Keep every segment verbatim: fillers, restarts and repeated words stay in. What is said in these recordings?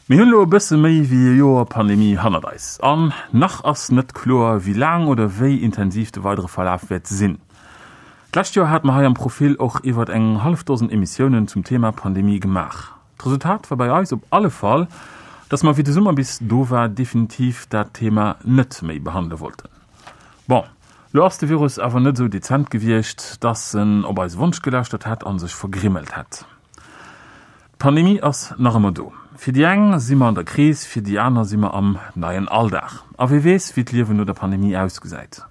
Mir hunn elo e bësse méi wéi e Joer Pandemie hannert eis. An nach ass net kloer, wéi laang oder wéi intensiv de weidere Verlaf wäert sinn. D'lescht Joer hate mer hei am Profil och iwwert eng hallef Dosen Emissiounen zum Thema Pandemie gemaach. D'Resultat war bei eis op alle Fall, dass mer, wéi de Summer bis do war, definitiv dat Thema net méi behandele wollten. Bon, lo ass de Virus awer net esou dezent gewiescht, dass en op eise Wonsch gelauschtert hätt a sech vergrimmelt hätt. D'Pandemie ass nach ëmmer do. Fir déi eng si mer an der Kris, fir déi aner si mer am neien Alldag. A wie weess, wéi d'Liewen no der Pandemie ausgesäit.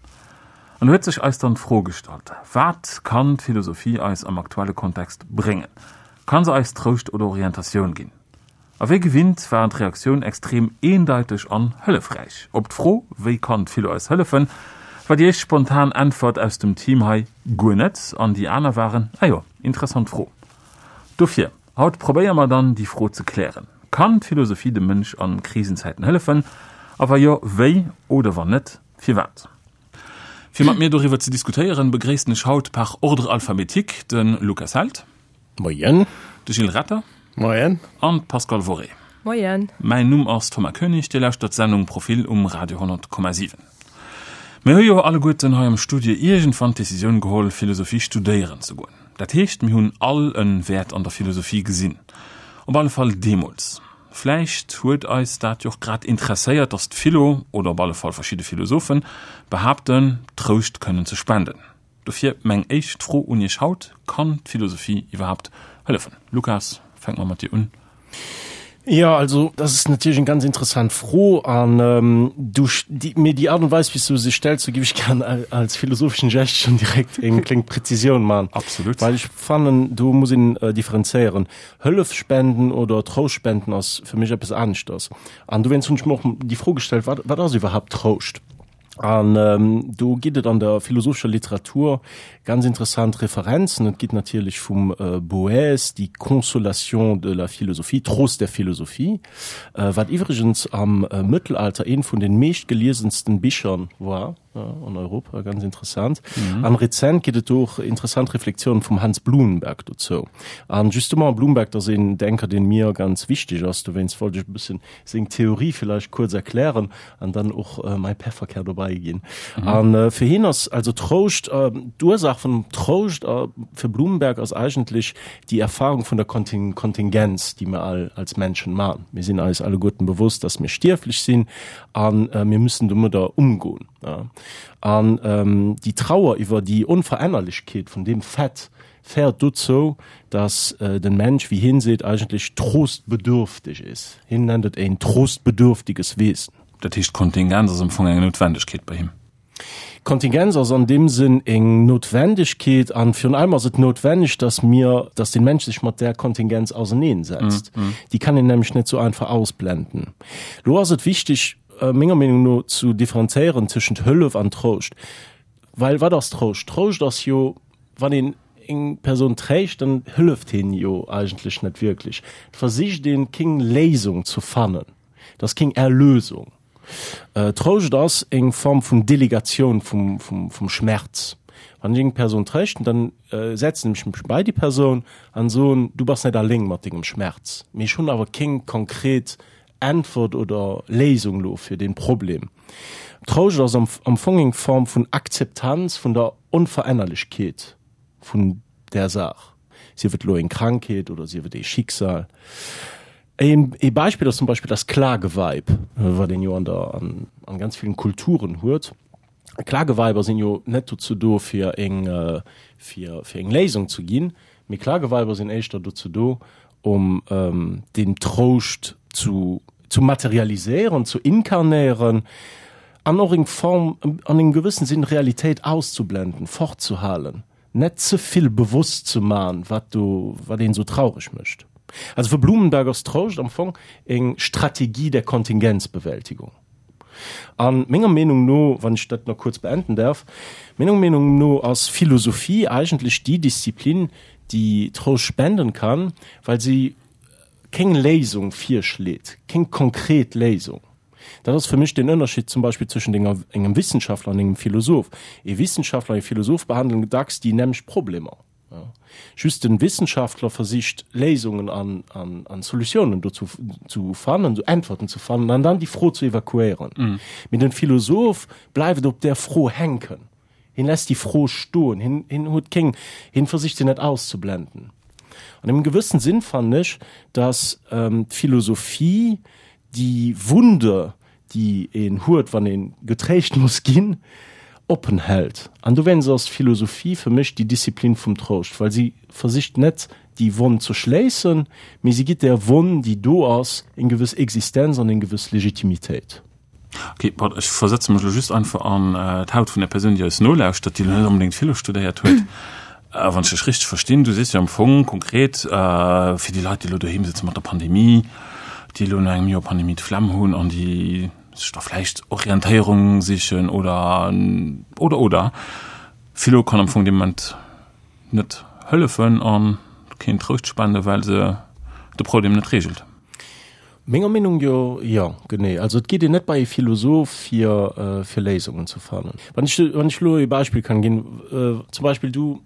An do huet sech eis dann d'Fro gestallt, Wat kann d'Philosophie eis am aktuelle Kontext bréngen? Kann se eis Trouscht oder Orientatioun ginn? A wéi gewinnt waren d'Reaktioun extrem eendeiteg an hëllefräich. Op d'Fro, Wéi kann d'Philo eis hëllefen? war déi éischt spontan Äntwert aus dem Team hei, Guer net. An déi aner waren, Ah jo, interessant Fro. Dofir, haut probéiere mer dann, déi Fro ze klären, Kann d'Philosophie dem Mënsch a Krisenzäiten hëllefen? A wa jo, wéi? Oder wann net, firwat? Fir mat mir doriwwer ze diskutéieren, begréissen ech haut par ordre alphabétique de Lukas Held. Moien. De Gilles Retter. Moien. An d'Pascale Worré. Moien. Mäin Numm ass Thomas Koenig, Dir lauschtert d'Sendung Profil um Radio honnert Komma siwen. Mir hu jo alleguerten hei am Studio iergendwann d'Decisioun geholl, Philosophie studéieren ze goen. Dat heescht, mir hunn all e Wäert an der Philosophie gesinn. Op alle Fall deemools. Vläicht huet eis dat jo och grad interesséiert, datt d'Philo, oder op alle Fall verschidde Philosophen, behaapten, Trouscht kënnen ze spenden. Dofir meng éischt Fro un Iech haut, Kann d'Philosophie iwwerhaapt hëllefen? Lukas, fänke mer mat dir un. Jo, also dat ass natierlech eng ganz interessant Fro an du mee déi Art und Weis, wéi s du se stells, do géif ech gern als philosopheschen Gest schonn direkt eng kléng Präzisioun man. Absolut. Well ech fannen, do muss een differenzéieren. Hëllef spenden oder Trouscht spenden ass fir mech eppes aneschters. An dowéinst hunn ech mer och déi Fro gestellt, wat, wat ass iwwerhaapt Trouscht? An do gitt et an der philosophescher Literatur ganz interessant Referenzen. Et gitt natierlech vum Boèce déi Consolation de la philosophie, Trost der Philosophie, wat iwwregens am Mëttelalter eent vun den meeschtgeliesensten Bicher war an Europa, ganz interessant. An rezent gitt et do och interessant Reflexionen vum Hans Blumenberg dozou. An justement Blumenberg, dat ass een Denker, deen mir ganz wichteg ass, dowéinst wollt ech e bëssen seng Theorie villäicht kuerz erklären an dann och mäi Pefferkär dobäi ginn. An fir hien ass also Trouscht, d'Ursaach vun Trouscht fir Blumenberg ass eigentlech déi Erfahrung vun der Kontingenz, déi mir all als Menschen man. Mir sinn eis alleguerten bewosst, dass mir stierflech sinn an mir müssen domadder umgoen. An déi Trauer iwwer déi Onverännerlechkeet vun deem Fait féiert dozou, dass den Mensch, wéi hien seet, eigentlech trostbedürftig ist. Hien nennt et ein trostbedürftiges Wesen. Dat heescht, Kontingenz ass am Fong eng Noutwendegkeet bei him? Kontingenz ass an deem Sënn eng Noutwendegkeet an virun allem ass et noutwenneg, dass mir, dass den Mensch sech mat där Kontingenz auserneensetzt. Déi kann een nämlech net sou einfach ausblenden. Lo ass et wichteg, menger Meenung no, zu differenzéieren tëschent Hëllef an Trouscht. Well wat ass Trouscht? Trouscht ass jo, wann een eng Persoun tréischt, dann hëlleft heen jo eigentlech net wierklech. Et versicht een, keng Léisung ze fannen. Et ass keng Erlösung. Trouscht ass eng Form vun Delegatioun vum, vum, vum Schmerz. Wann ech eng Persoun tréischten, dann setzen ech mech bei déi Persoun an soen, du bass net alléng mat dengem Schmerz. Mee ech hunn awer keng konkret Äntwert oder Léisung lo fir dee Problem. Trouscht ass am, am Fong eng Form vun Akzeptanz vun der Onverännerlechkeet vun där Saach, sief et elo eng Krankheet oder sief et ee Schicksal. Een ee Beispill ass zum Beispill das Klageweib, wat een jo an der, an, an ganz villen Kulturen huet. Klageweiber sinn jo net dozou do fir eng, fir, fir eng Léisung ze ginn, mee Klageweiber sinn éischter dozou do, um den Trouscht zu zu materialiséieren, zu inkarnéieren an och eng Form, an engem gewëssen Sinn Realitéit auszublenden, fortzuhalen, net ze vill bewosst ze man, wat do, wat een esou traureg mécht. Also fir Blumenberg ass Trouscht am Fong eng Strategie der Kontingenzbewältigung. An menger Meenung no, wann ech dat nach kuerz beenden däerf, menger Meenung no ass Philosophie eigentlech déi Disziplin, déi Trouscht spenden kann, well si kéng Léisung virschleet, kéng konkret Léisung. Dat ass fir mech den Ënnerscheed zum Beispill zwëschent enger, engem Wissenschaftler an engem Philosoph. Ee Wissenschaftler an ee Philosoph behandeln dacks déi nämlecht Problemer. Just den Wissenschaftler versicht Léisungen an, an, an Solutiounen dozou zu fannen, sou Äntwerten ze fannen an dann déi Fro ze evakuéieren. Mm. Mee den Philosoph bleift op der Fro hänken. Hien lässt déi Fro stoen, hien, hien huet keng, hien versicht se net auszublenden. An engem gewëssen Sinn fannen ech, dass ähm, d'Philosophie déi Wunde, déi een huet, wann een getréischt muss ginn, oppen hält. An dowéinst ass Philosophie fir mech déi Disziplin vum Trouscht, well si versicht net déi Wonn ze schléissen, mee si gitt der Wonn, déi do ass, eng gewëss Existenz an eng gewëss Legitimitéit. Ok, bon, ech versetze mech lo just einfach an d'Haut vun der Persoun, déi eis nolauschtert, déi lo net onbedéngt Philo studéiert huet. Wann ech dech richteg verstinn, du sees jo am Fong konkret, fir déi Leit, déi elo doheem sëtze mat der Pandemie, déi elo no engem Joer Pandemie d'Flemm hunn an déi sech da vläicht Orientéierung sichen oder, oder, oder, Philo kann am Fong dee Moment net hëllefen a keen Trouscht spenden, well se de Problem net reegelt. Menger Meenung jo, jo, genee. Also et geet een net bei e Philosoph fir fir Léisungen ze fannen. Wann ech wann ech elo e Beispill kann ginn, zum Beispill du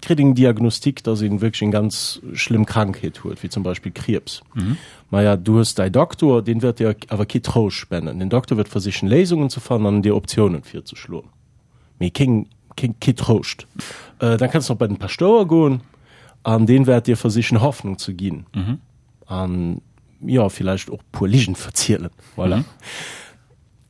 kritt eng Diagnostik, dass een wierklech eng ganz schlëmm Krankheet huet, wéi zum Beispill Kriibs. Maja, du hues däi Doktor, deen wäert dir awer kee Trouscht spenden. Den Doktor wäert versichen Léisungen ze fannen an dir Optiounen virzeschloen, mee keng keng kee Trouscht. Dann kanns de nach bei den Paschtouer goen an deen wäert dir versichen Hoffnung ze ginn an jo villäicht och puer Ligen verzielen. Voilà.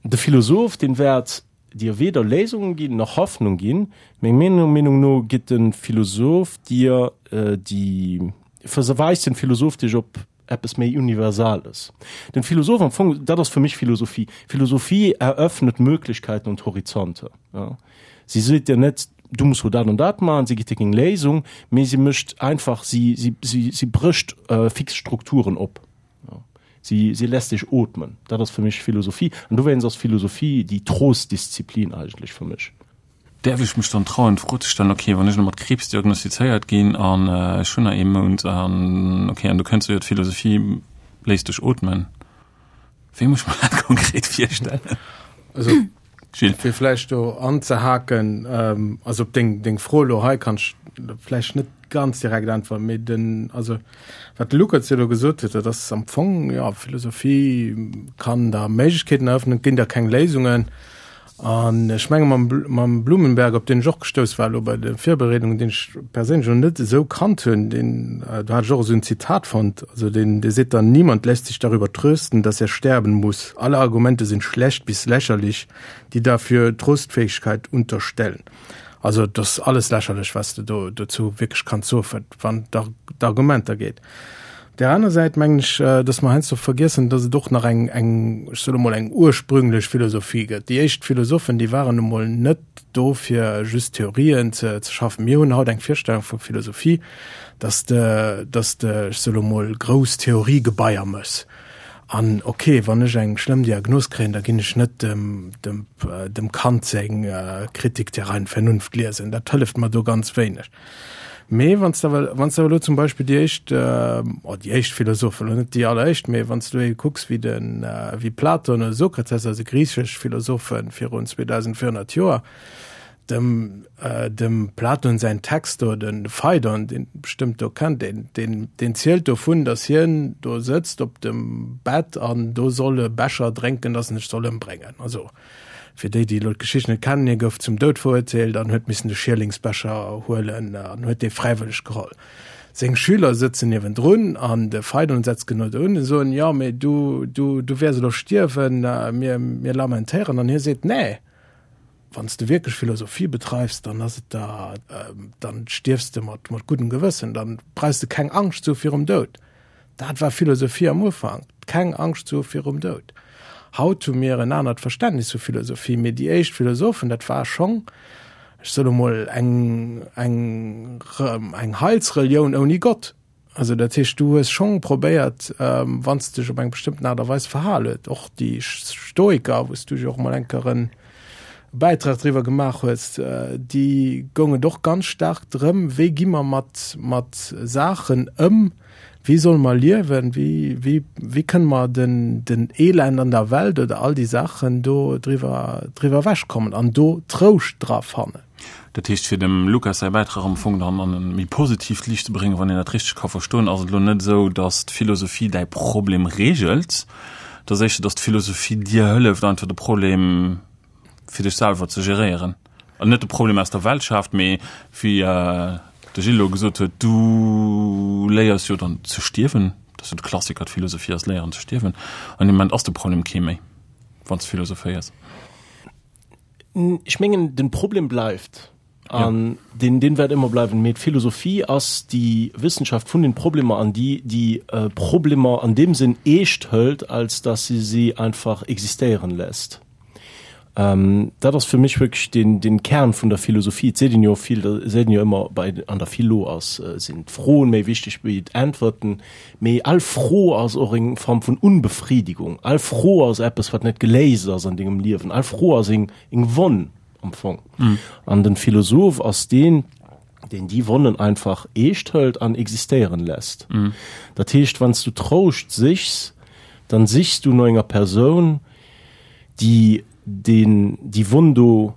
De Philosoph, deen wäert dir weder Léisungen ginn nach Hoffnung ginn. Meng Meenung no gitt de Philosoph dir déi, verweist den Philosoph dech op eppes méi Universales. Den Philosoph am Fong, dat ass fir mech Philosophie. Philosophie eröffnet Möglichkeiten und Horizonte. Ja. Si seet dir net, du muss lo dat an dat maachen, si gitt dir keng Léisung, mee si mécht einfach, si, si, si, si brécht fix Strukturen op. Ja. Si, si lässt dech ootmen. Dat ass fir mech Philosophie. An dowéinst ass Philosophie déi Trostdisziplin eigentlech fir mech. Däerf ech mech dann trauen, d'Fro ze stellen, okay, wann ech elo mat Kriibs diagnostizéiert ginn an ech hunn nach ee Mount an okay, an du kënns jo, d'Philosophie léisst dech ootmen, wéi muss ech mer dat konkret virstellen? Also, Gilles. fir vläicht do anzehaken, also op deng, deng Fro elo hei kann ech vläicht net ganz direkt äntweren, mee den, also wat de Luca jo elo gesot huet, dat ass am Fong, jo, Philosophie kann der Méiglechkeeten eröffnen, ginn der keng Léisungen. An ech menge mam, mam Blumenberg, op deen ech och gestouss war elo bei de Virbereedungen, deen ech perséinlech elo net esou kannt hunn, deen, do hat ech och esou en Zitat fonnt, also deen, dee seet dann, Niemand lässt sich darüber trösten, dass er sterben muss. Alle Argumente sind schlecht bis lächerlich, die dafür Trostfähigkeit unterstellen. Also et ass alles lächerlech, wat s de do dozou wierklech kanns soen, wat wann et d'Argumenter geet. Op där aner Säit mengen ech, dass mer heiansdo vergiessen, dass et och nach eng, eng, ech soen emol, eng ursprünglech Philosophie gëtt. Déi éischt Philosophen, déi waren nu mol net do, fir just Theorien ze, ze schaffen. Mir hunn haut eng Virstellung vu Philosophie, dass de, dass de, ech soe lo mol, grouss Theoriegebaier méchs. An ok, wann ech eng schlëmm Diagnos kréien, da ginn ech net dem, dem, dem Kant seng Kritik der reinen Vernunft liesen. Dat hëlleft mer do ganz wéineg. Mee wann s de awer, wann s de awer elo zum Beispill déi éischt, oh déi éischt Philosophen, elo net déi alleréischt, mee wann s du elo kucks wéi de, wéi Platon oder Sokrates, also griichesch Philosophen virun zweedausendvéierhonnert Joer, dem, dem Platon säin Text do, de Phaidon, deen bestëmmt do kennt, deen, deen, deen zielt dovun, datt hien do sëtzt op dem Bett an do soll e Becher drénken, datt en sech soll ëmbréngen. Also Fir déi, déi elo d'Geschicht net kennen, hie gouf zum Doud verurteelt an huet missen de Schierlingsbecher huelen an huet dee fräiwëlleg geholl. Seng Schüler sëtzen niewendrun an de Pheidon setzt genau do un a soen, Jo, mee du, du, du wäers elo stierwen, mir, mir lamentéieren. An hie seet, Nee, wann s de wierklech Philosophie betreifs, dann ass et der, dann stierfs de mat, mat guddem Gewëssen, dann brauchs de keng Angscht ze hu virum Doud. Dat war Philosophie am Ufank, keng Angscht ze hu virum Doud. Haut hu mir en anert Verständnis vu Philosophie, mee déi éischt Philosophen, dat war schonn, ech soe lo mol, eng, eng, eng Heilsrelioun ouni Gott. Also dat heescht, du hues schonn probéiert, wann s de dech op eng bestëmmten Aart a Weis verhal huet, och déi Stoiker, wou s du jo och mol eng Kéier e Bäitrag driwwer gemaach hues, déi goung et och ganz staark drëm, wéi gi mer mat, mat Saachen ëm, Wéi solle mer liewen? Wéi, wéi, wéi kënne mer den, den Elend an der Welt oder all déi Saachen do driwwer, driwwer ewechkommen an do Trouscht dra fannen? Dat heescht, fir dem Lukas säi Bäitrag am Fong dann an e méi positiivt Liicht ze bréngen, wann een dat richteg ka verstoen, ass et elo net esou, datt d'Philosophie däi Problem reegelt, et ass éischter, datt d'Philosophie dir hëlleft, einfach de Problem fir dech selwer ze geréieren. An net de Problem aus der Welt schaaft, mee wéi de Gilles elo gesot huet, du léiers jo dann ze stierwen, dat ass jo de Klassiker, d'Philosophie ass léieren ze stierwen, an deem Moment ass de Problem kee méi, wann s de philosophéiers. Ech mengen, den Problem bleift an den den wäert ëmmer bleiwen, mee d'Philosophie ass déi Wissenschaft vun den Problemer an déi déi Problemer an deem Sënn eescht hëlt, als dass se si einfach existéieren lässt. Dat ass fir mech wierklech den den Kern vun der Philosophie. Et seet een jo vill, et seet een jo ëmmer bei an der Philo ass sinn d'Froen méi wichteg wéi d'Äntwerten, mee all Fro ass och eng Form vun Unbefriedigung. All Fro ass eppes wat net geléist ass an dengem Liewen. All Fro ass eng eng Wonn am Fong. An den Philosoph ass deen, deen déi Wonnen einfach eescht hëlt an existéieren lässt. Dat heescht, wann s du Trouscht sichs, dann sichs du no enger Persoun, déi deen déi Wonn do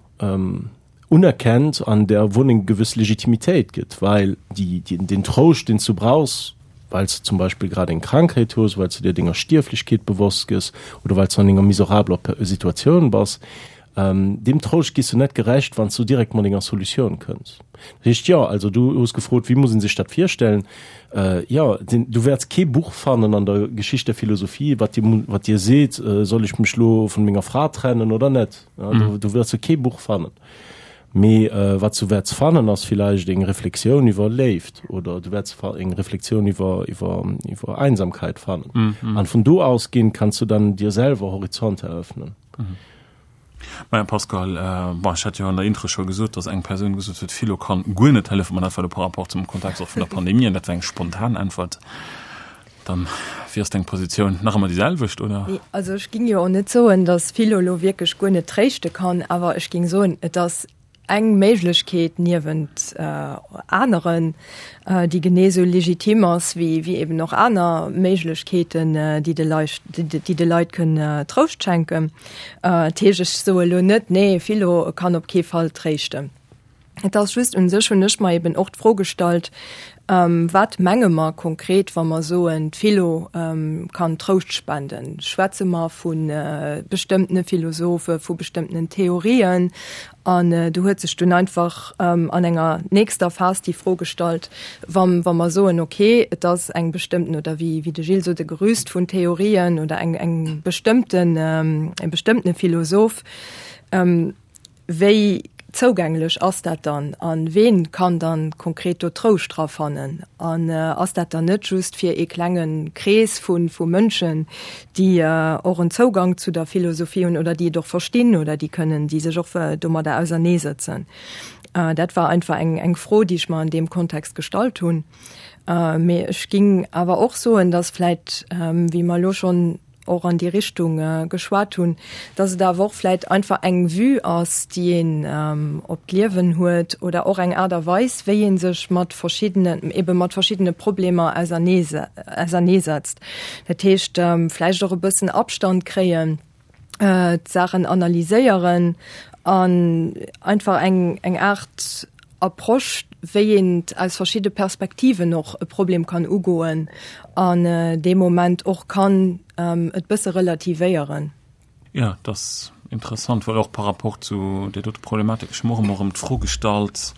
unerkennt an där Wonn eng gewëss Legitimitéit gëtt, well déi, deen Trouscht, deen s du brauchs, well s de zum Beispill grad eng Krankheet hues, well s de dir denger Stierflechkeet bewosst gëss oder well s du an enger miserabler Situatioun bass, deem Trouscht giss du net gerecht, wann s du direkt mat enger Solutioun kënns. Dat heescht, jo, also du hues gefrot, wéi muss een sech dat virstellen? Jo, du wäerts kee Buch fannen an der Geschicht der Philosophie, wat dir, wat dir seet, soll ech mech lo vun menger Fra trennen oder net? Do, do wäerts du kee Buch fannen. Mee wat s du wäerts fannen, ass villäicht eng Reflexioun iwwer Léift oder du wäerts eng Reflexioun iwwer, iwwer, iwwer Einsamkeit fannen. An vun do ausgehend kanns du dann dir selwer Horizonte eröffnen. Maja Pascal, bon ech hat jo an der Intro scho gesot, datt eng Persoun gesot huet, Philo kann guer net hëllefen, ma dat war elo par rapport zum Kontext och vun der Pandemie an dat war eng spontan Äntwert. Dann, wéi ass deng Positioun? Nach ëmmer déi selwecht, oder? Nee, also ech ging jo och net soen, datt Philo elo wierklech guer net tréischte kann, awer ech ging soen, et ass eng Méiglechkeet niewent aneren, déi genee esou legitim ass wéi wéi eben och aner Méiglechkeeten, déi de Leit, déi de Leit kënnen Trouscht schenken. Dat heescht, ech soe elo net, nee, Philo kann op kee Fall tréischten. Et ass just, u sech hunn ech mer eben och d'Fro gestallt, Wat menge mer konkret, wa mer soen, d'Philo kann Trouscht spenden? Schwätze mer vu bestëmmtene Philosophe, vu bestëmmtenen Theorien? An do huet sech dunn einfach an enger nächster Phas déi Fro gestallt, wa wa mer soen, okay, et ass eng bestëmmten, oder wéi wéi de Gilles sot, e Gerüst vun Theorien oder eng eng bestëmmten, e bestëmmtene Philosoph, Wéi zougänglech ass dat dann an ween kann dann konkret do Trouscht dra fannen? An ass dat dann net just fir ee klenge Krees vu vu Mënschen, déi och en Zougang zu der Philosophie hunn oder déi et och verstinn oder déi kënnen, déi sech och domadder auserneesëtzen? Dat war einfach eng eng Fro, déi ech mer an deem Kontext gestallt hunn. Mee ech géing awer och soen, dass vläit, wéi mer elo schonn och an déi Richtung geschwat hunn, dass et awer och vläit einfach eng Vue ass, déi een op d'Liewen huet oder och eng Aart a Weis, wéi ee sech mat verschiddenen, ebe mat verschiddene Problemer auserneesetzt. Dat heescht, vläicht och e bëssen Abstand kréien, d'Saachen analyséieren an einfach eng, eng Aart Approche, wéi een aus verschidde Perspektiven och e Problem kann ugoen an dee Moment och kann et bësse relativéieren. Jo, dat ass interessant, well och par rapport zu där dote Problematik, ech hu mer och ëmmer erëm d'Fro gestallt,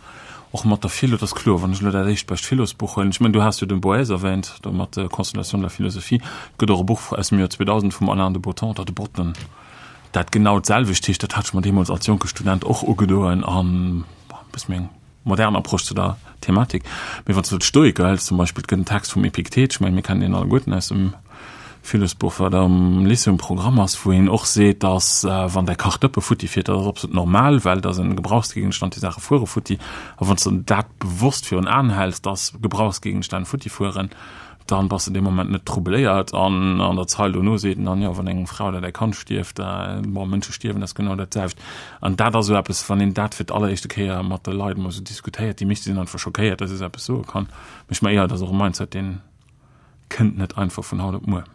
och mat der Philo, et ass kloer, wann ech elo dat éischt bescht Philosbuch huelen, ech mengen, du has jo den Boèze erwähnt, do mat der Constellation de la philosophie, et gëtt och e Buch aus dem Joer zweedausend vum Alain de Botton, oder de Botton, dat genau d'selwecht heescht, dat hat ech mer deemools als jonke Student och ugedoen an, bon, e bësse méi eng modern Approche zu der Thematik. Mee wann s du d'Stoiker hëls zum Beispill, et gëtt en Text vum Epiktet, ech mengen, mir kennen deen alleguerten aus dem Philosbuch, wat am Lycée um Programm ass, wou een och seet, dass wann däi Kachdëppe futti fiert, dat ass absolut normal, well dat ass en Gebrauchsgegenstand, déi Saache fuere futti. A wann s de dat bewosst virun Aen häls, dass Gebrauchsgegenstänn futti fueren, dann bass de dee Moment net troubléiert. An an der Zeil dono seet en dann, jo, wann eng Fra oder däi Kand stierft, bon, Mënsche stierwen, dat ass genau dat selwecht. An dat ass esou eppes, wann een dat fir d'alleréischte Kéier mat de Leit emol esou diskutéiert, déi meeschte sinn einfach schockéiert, dass ee esou eppes soe kann. Mee ech mengen, jo, dat ass och e Mindset, dee kënnt net einfach vun haut op muer.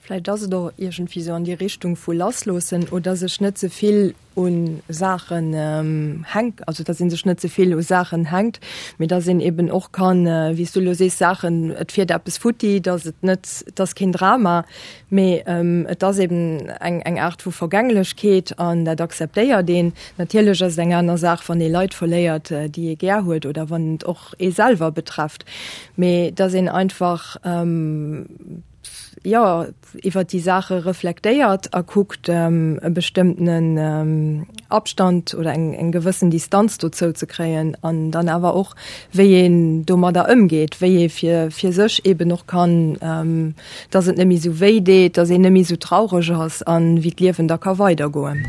Vläicht ass et och iergendwéi sou an déi Richtung vu lassloossen oder sech net ze vill u Saachen hänk, also dass ee sech net ze vill u Saachen hänkt, mee dass een eben och kann, wéi s du elo sees, Saachen, et fiert eppes futti, dass et net, et ass keen Drama, mee et ass eben eng eng Aart vu Vergänglechkeet an dat akzeptéiert een. Natierlech ass et eng aner Saach, wann ee Leit verléiert, déi ee gär huet oder wann et och ee selwer betrefft, mee dass een einfach, jo, iwwer déi Saache reflektéiert a kuckt, e bestëmmtenen Abstand oder eng, eng gewëssen Distanz dozou ze kréien an dann awer och, wéi een domadder ëmgeet, wéi ee fir, fir sech eeben och kann, dass et net méi esou wéi deet, dass een net méi esou traureg ass an wéi d'Liewen da ka weidergoen.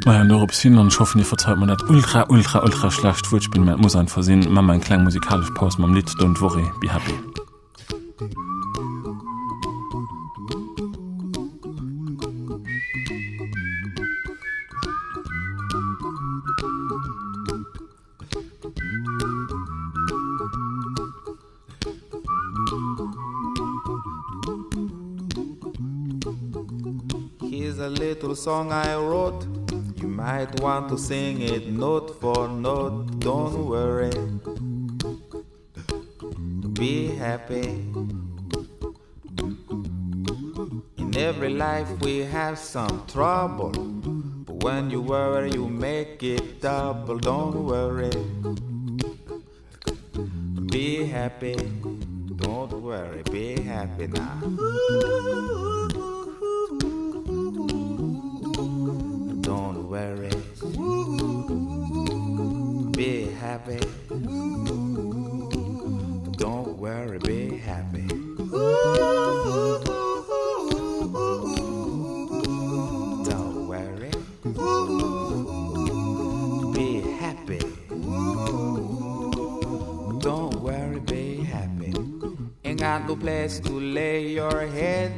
Maja, an dorops hin, an ech hoffen, Dir verzeit mer dat ultra, ultra, ultra schlecht Wuertspill, mä et muss einfach sinn, maache mer eng kleng musikalesch Paus mam Lidd Don't Worry, Be Happy. Here's a little song I wrote. You might want to sing it note for note. Don't worry. Be happy. In every life we have some trouble. But when you worry, you make it double. Don't worry. Be happy. Don't worry. Be happy now. Don't worry. Be happy. Don't worry, be happy. Don't worry. Be happy. Don't worry, be happy. Ain't got no place to lay your head.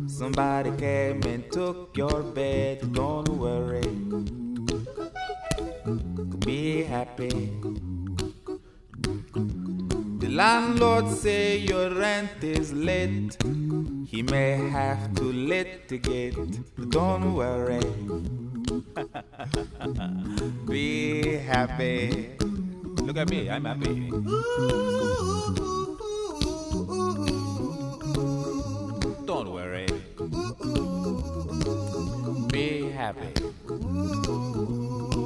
Somebody came and took your bed. Don't worry. Be happy. The landlord say your rent is late. He may have to litigate. Don't worry. Be happy. Look at me, I'm happy. Don't worry. Be happy.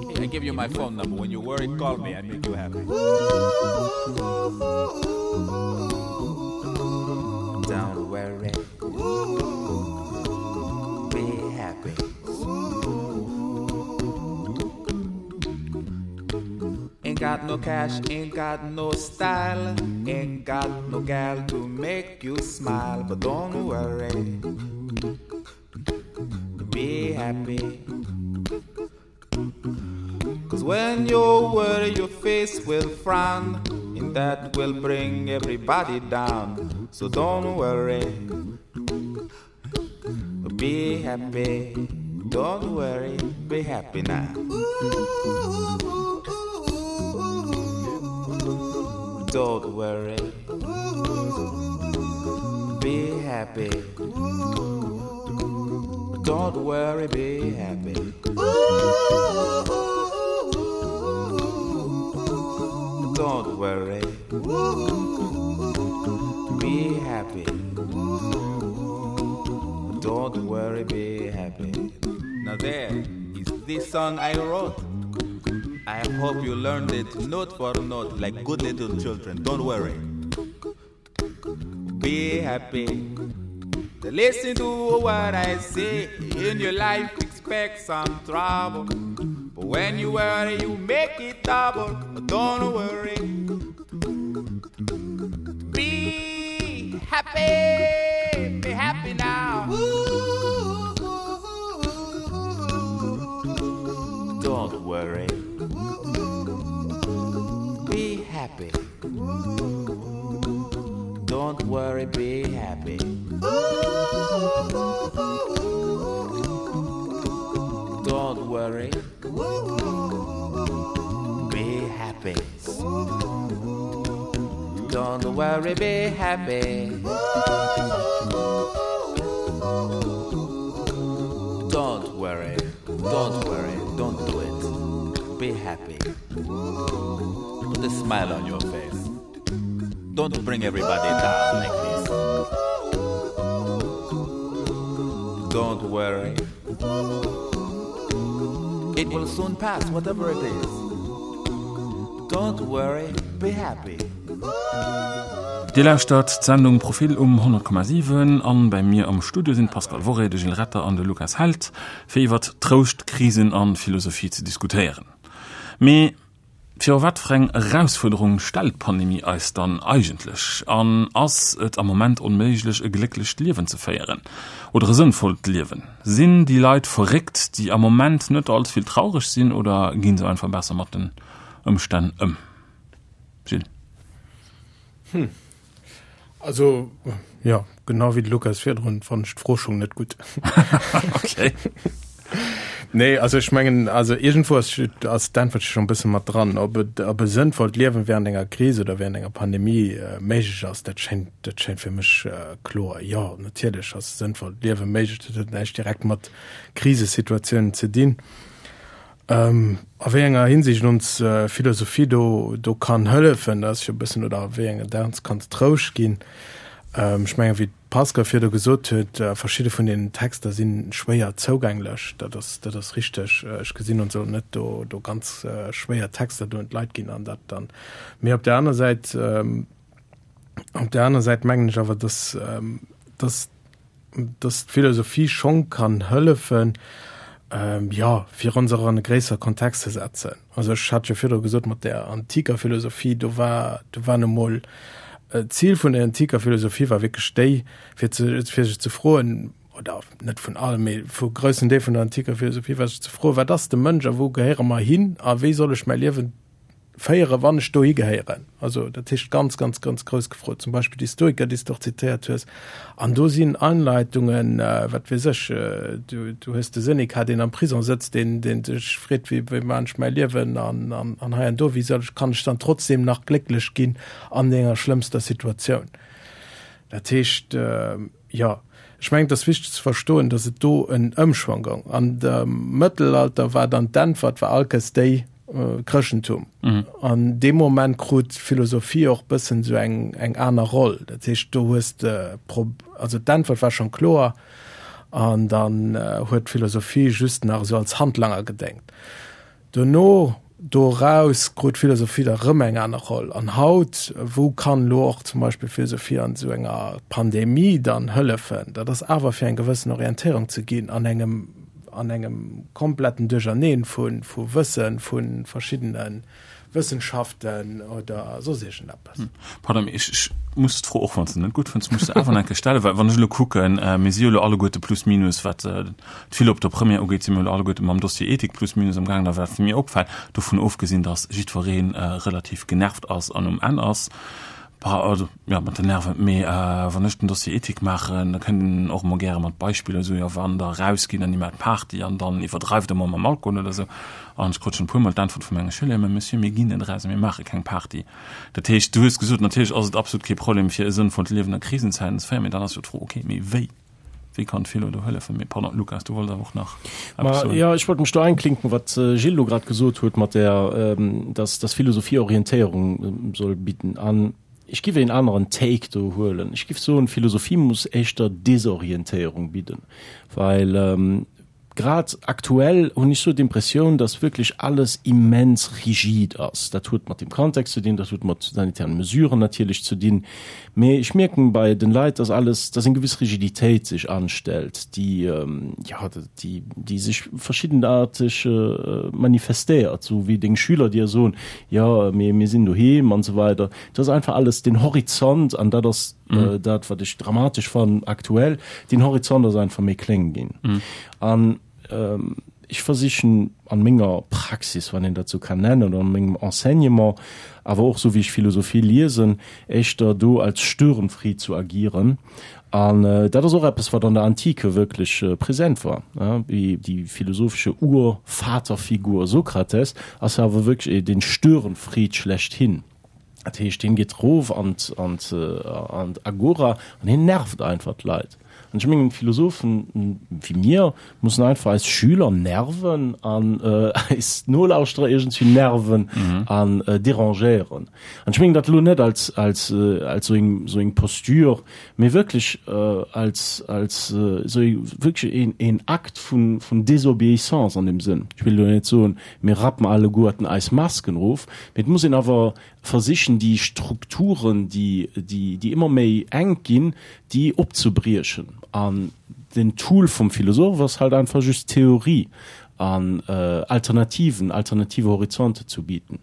Hey, I give you my phone number. When you worry, call me. I make you happy. Don't worry. Be happy. Ain't got no cash, ain't got no style, ain't got no gal to make you smile, but don't worry. Be happy. Cause when you worry, your face will frown, and that will bring everybody down. So don't worry. Be happy. Don't worry, be happy now. Don't worry. Be happy. Don't worry, be happy. Don't worry. Be happy. Don't worry, be happy. Now there is this song I wrote. I hope you learned it note for note like good little children. Don't worry. Be happy. Listen to what I say. In your life, expect some trouble. But when you worry, you make it double. Don't worry. Be happy. Be happy now. Don't worry. Be happy. Don't worry, be happy. Don't worry. Be happy. Don't worry, be happy. smile on your face. Don't bring everybody down like this. Don't worry. It will soon pass, whatever it is. Don't worry, be happy. Dir lauschtert d'Sendung Profil um honnert Komma siwen an bei mir am Studio sinn d'Pascale Worré, de Gilles Retter an de Lukas Held, fir iwwert Trouscht, Krisen an Philosophie ze diskutéieren. Mee viru wat fir eng Erausfuerderung stellt d'Pandemie eis dann eigentlech? An ass et am Moment onméiglech e glécklecht Liewen ze féieren? Oder e sënnvollt Liewen? Sinn déi Leit verréckt, déi am Moment net all ze vill traureg sinn oder ginn se einfach besser mat den Ëmstänn ëm? Gilles. Hm. Also, ja, genau wéi de Lukas virdrun, fannen ech d'Fro schonn net gutt. Okay. Nee, also ech mengen, also iergendwou ass, ass d'Äntwert schonn e bësse mat dran. Ob et, ob e sënnvollt Liewen während enger Kris oder während enger Pandemie äh, méiglech ass, dat schéngt, dat schéngt fir mech äh, kloer. Jo, natierlech ass sënnvollt Liewe méiglech, dat huet näischt direkt mat Krisesituatiounen ze dinn. Ähm, a wéi enger Hinsicht ons äh, Philosophie do, do kann hëllefen, dat ass jo e bëssen, oder a wéi enger der ons kann Trouscht ginn. Ähm, ech mengen, wéi d'Pascale virdu gesot huet, äh, verschidde vun den Texter si schwéier zougänglech. Dat ass, dat ass richteg. Äh, ech gesinn ons och net do, do ganz äh, schwéier Texter do un d'Leit ginn an dat dann. Mee op der aner Säit, ähm, op der aner Säit mengen ech awer, dass, ähm, dass, dass d'Philosophie schonn kann hëllefen, ähm, jo, fir ons och an e gréissere Kontext ze setzen. Also ech hat jo virdru gesot mat der antiker Philosophie, do war, do war nu mol äh, d'Zil vun der antiker Philosophie war wierklech déi, fir ze, fir sech ze froen, oder net vun allem, mee vu groussen Deel vun der antiker Philosophie war sech ze froen, wat ass de Mënsch a wou gehéiere mer hin a wéi soll ech mäi Liewen féieren, wann ech dohi gehéieren. Also dat heescht ganz, ganz, ganz grouss gefrot. Zum Beispill déi Stoiker, déi s de och zitéiert hues. An do sinn Anleitungen, wat weess ech, du, du hues de Seneca, deen am Prison sëtzt, deen, deen sech freet, wéi, wéi maachen ech mäi Liewen an, an, an hei an do, wéi soll ech, kann ech dann trotzdem nach glécklech ginn an denger schlëmmster Situatioun. Dat heescht, jo, ech mengen, et ass wichteg ze verstoen, datt et do en Ëmschwong goung. An dem Mëttelalter war dann d'Äntwert war allkes déi, Chrëschtentum. An deem Moment krut d'Philosophie och bëssen esou eng, eng aner Roll. Dat heescht, do hues de, also d'Äntwert war schonn kloer an dann huet d'Philosophie just nach esou als Handlanger gedéngt. Dono, doraus krut d'Philosophie da rëm eng aner Roll. An haut, wou kann elo och zum Beispill Philosophie an esou enger Pandemie dann hëllefen? Dat ass awer fir eng gewëssen Orientéierung ze ginn an engem, an engem kompletten Duercherneen vu vu Wëssen, vu verschiddene Wëssenschaften oder soss iergendeppes. Pardon, mee ech, ech muss d'Fro, och wann s de net gutt fënns, muss se awer nach eng Kéier stellen, well wann ech elo kucken, mir si jo elo alleguerte plus minus, wat d'Philo op der Première ugeet, si mir elo alleguerte mam Dossier Ethik plus minus amgaangen, a wat mir opfält, dovun ofgesinn, datt jiddweree relativ genervt ass an um Enn ass, Bah, also, jo, mat den Nerven. Mee wann ech den Dossier Ethik maachen, da kënnt een och emol gäre mat Beispiller esou, jo, wann der erausgitt an dir maacht Party an dann iwwerdreift der emol mam Alkohol oder esou. An ech krut schonn e puermol d'Äntwert vu menge Schüler, Mä Monsieur, mir ginn net eraus a mir maache keng Party. Dat heescht, du hues gesot, natierlech ass et absolut kee Problem, fir e sënnvollt Liewen a Krisenzäiten ze féieren, mee dann ass jo d'Fro, okay, mee wéi? Wéi kann d'Philo do hëllefen? Mee pardon, Lukas, du wollts awer och nach eppes soen. Jo, ech wollt mech do einklinken, wat de Gilles elo grad gesot huet mat där, dass dass Philosophie Orientéierung soll bidden. An ech giff een aneren Take do huelen. Ech giff soen, Philosophie muss éischter Desorientéierung bidden, well Grad aktuell hunn ech sou d'Impressioun, dass wierklech alles immens rigid ass. Dat huet mat dem Kontext ze dinn, dat huet mat sanitären Mesuren natierlech ze dinn, mee ech mierken bei den Leit, dass alles, dass eng gewëss Rigiditéit sech anstellt, déi, jo, déi, déi sech verschiddenarteg manifestéiert, sou wéi deng Schüler dir soen, jo, mee mir sinn doheem an esou weider. Et ass einfach alles, den Horizont, an dat ass dat wat ech dramatesch fannen aktuell, den Horizont ass einfach méi kléng ginn. An ech versichen an menger Praxis, wann een dat sou kann nennen, oder an mengem Enseignement, awer och sou wéi ech Philosophie liesen, éischter do als Störenfried zu agieren. An dat ass och eppes wat an der Antike wierklech präsent war. Déi philosophesche Urvaterfigur Sokrates ass jo awer wierklech den Störenfried schlechthin. Dat heescht, hien geet erof an d'Agora an hien nervt einfach d'Leit. An ech mengen, Philosophen wéi mir mussen einfach eis Schüler nerven an äh, eis Nolauschterer iergendwéi nerven mhm. an äh, derangéieren. An ech mengen dat lo net als, als, äh, als sou eng, sou eng Posture, mee wierklech äh, als, als äh, sou wierklech een, een Akt vun, vun Désobéissance an dem Sënn. Ech wëll lo net soen, mir rappen alleguerten eis Masken of, mee et muss een awer versichen déi Strukturen, déi, déi, déi ëmmer méi enk ginn, déi opzebriechen. An den Tool vum Philosoph ass halt einfach just Theorie an äh, Alternativen, alternative Horizonte zu bieten.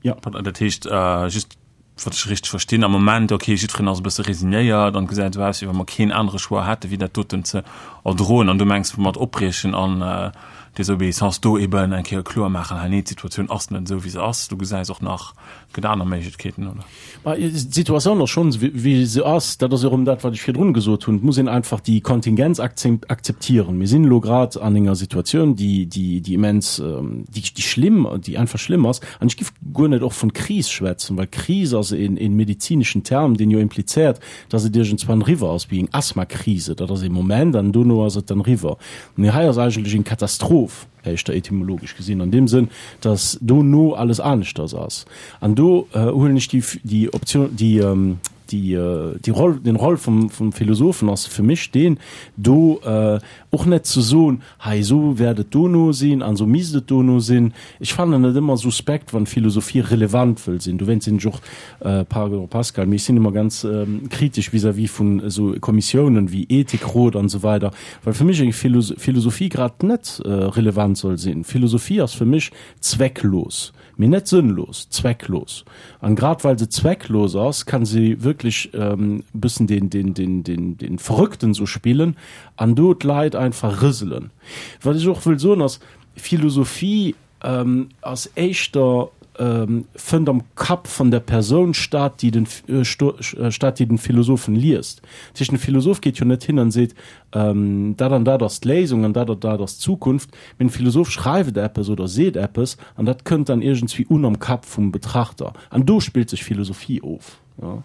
Ja. Dat heescht äh, just wann ech richteg verstinn, am Moment, okay, jiddwereen ass e bësse resignéiert an gesäit esou aus, wéi wa mer keen anere Choix hätte wéi dat doten ze erdroen an du mengs mat opbriechen an äh, Désobéissance do eben eng Kéier kloer maachen, hei nee, d'Situatioun ass net esou wéi se ass, du gesäis och nach gëtt aner Méiglechkeeten, oder? Ma d'Situatioun ass schonn wéi se ass, dat ass erëm dat wat ech virdrun gesot hunn, et muss een einfach déi Kontingenz akzeptieren. Mir sinn elo grad an enger Situatioun, déi déi déi immens déi déi schlimm déi einfach schlimm ass an ech giff guer net och vun Kris schwätzen, well Kris ass een een medizineschen Term, deen jo implizéiert, dass et iergendswann eriwwer ass, wéi eng Asthmakrise, dat ass ee Moment an dono ass et dann eriwwer. Mee hei ass eigentlech eng Katastroph, éischter etymologesch gesinn, an deem Sënn, dass dono alles aneschters ass. An do huelen ech déi, déi Option, déi, déi, déi Roll, den Roll vum, vum Philosophen ass fir mech deen, do och net ze soen, hei esou wäert et dono sinn an esou misst et dono sinn. Ech fannen et ëmmer suspekt, wann Philosophie relevant wëll sinn. Dowéinst sinn ech och, pardon Pascal, mee ech sinn ëmmer ganz kritesch vis-à-vis vun esou Kommissiounen wéi Ethikrot an esou weider, well fir mech eng Philosophie grad net relevant soll sinn. Philosophie ass fir mech zwecklos. Mee net sënnlos, zwecklos. An grad well se zwecklos ass, kann se wierklech e bëssen den, den, den, den, den Verrückten sou spillen an do d'Leit einfach rëselen. Wat ech och wëll soen ass, Philosophie ass éischter, fënnt am Kapp vun der Persoun statt, déi den, statt, déi den Philosophen liest. Dat heescht, den Philosoph geet jo net hin an seet, dat an dat ass d'Léisung an dat an dat ass d'Zukunft, mee den Philosoph schreift eppes oder seet eppes an dat kënnt dann iergendswéi un am Kapp vum Betrachter an do spillt sech Philosophie of. Ja,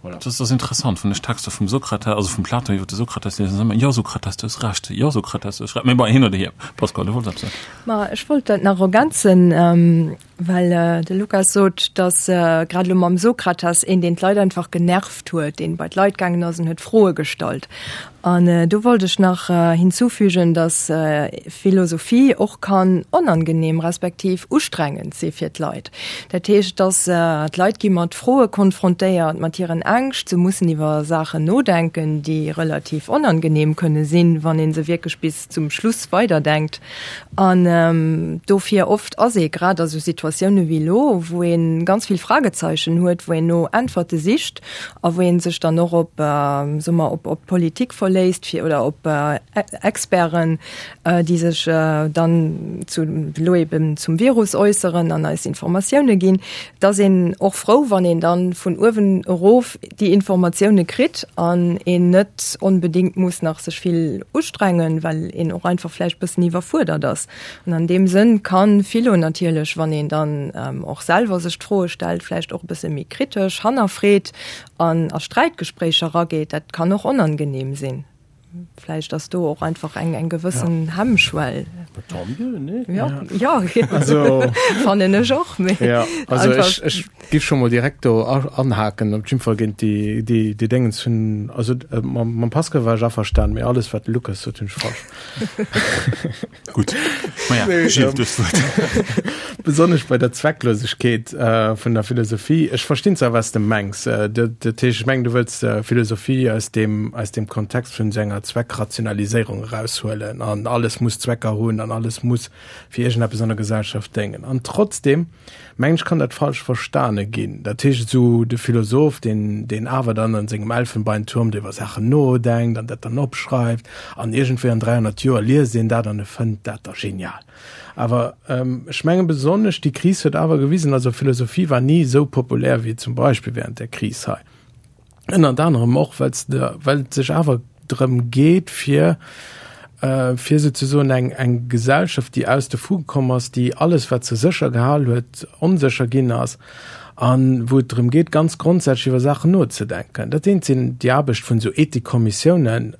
voilà. Dat ass interessant, wann ech Texter vum Sokrates, also vum Platon iwwer de Sokrates liesen, dann ëmmer, Jo Sokrates, du hues Recht, jo Sokrates, du hues Recht. Mee bon, hin oder hier. Pascal, du wollts eppes soen. Ma ech wollt dat nach ergänzen, well de Lukas sot, datt grad elo mam Sokrates een, deen d'Leit einfach genervt huet, deen bei d'Leit gaangen ass an huet Froe gestallt. An do wollt ech nach hinzufügen, datt Philosophie och kann onangenehm respektiv ustrengend si fir d'Leit. Dat heescht, datt d'Leit gi mat Froe konfrontéiert, mat hiren Ängscht, se mussen iwwer Saachen nodenken, déi relativ onangenehm kënne sinn, wann ee se wierklech bis zum Schluss weiderdenkt. An dofir oft ass ee grad a sou Situatioune wéi elo, wou ee ganz vill Fragezeichen huet, wou een no Äntwerte sicht a wou ee sech dann och op, soe mer, op d'Politik verléisst fir oder op Experten, déi sech dann zu elo eben zum Virus äusseren an eis Informatioune ginn, da ass een och frou, wann een dann vun uewen erof déi Informatioune kritt an een net onbedéngt muss nach sech vill ustrengen, well een och einfach vläicht bëssen iwwerfuerdert ass. An an deem Sënn kann Philo natierlech, wann een dann och selwer sech d'Froe stellt, vläicht och e bësse méi kritesch hannerfreet an a Sträitgespréicher erageet. Dat kann och onangenehm sinn. Vläicht ass do och einfach eng eng gewëssen Hemmschwell. Tant mieux, nee? Ja, ja, also, fannen ech och. Mee ja, also einfach ech, ech giff scho mol direkt do anhaken, op jidde Fall géint déi, déi, déi Déngens hunn, also mam, mam Pascal war ech averstanen, mee alles wat de Lukas sot hunn ech falsch. Gutt, maja, Gilles, du hues d'Wuert. Besonnesch bei der Zwecklosegkeet vun der Philosophie. Ech verstinn zwar, wat s de mengs. Dat heescht, ech mengen, du wëlls Philosophie aus deem, aus deem Kontext vun esou enger Zweckrationaliséierung eraushuelen an alles muss Zwecker hunn an alles muss fir iergendeppes an der Gesellschaft déngen. An trotzdem mengen ech, kann dat falsch verstane ginn. Dat heescht, esou de Philosoph, deen, deen awer dann an sengem Elfenbeinturm do iwwer Saachen nodenkt an dat dann opschreift an iergendwéi an dräihonnert Joer liest een dat an e fënnt dat da genial. Awer ech mengen, besonnesch déi Kris huet awer gewisen, also Philosophie war ni esou populär wéi zum Beispill während där Kris hei. Ënnert anerem och, well well et sech awer drëm geet, fir fir souzesoen eng eng Gesellschaft, déi aus de Fuge komm ass, déi alles, wat se sécher gehal huet, onsécher ginn ass, An wou et drëm geet, ganz grondsätzlech iwwer Saachen nozedenken. Dat eent sinn déi Aarbecht vun esou Ethikkommissiounen,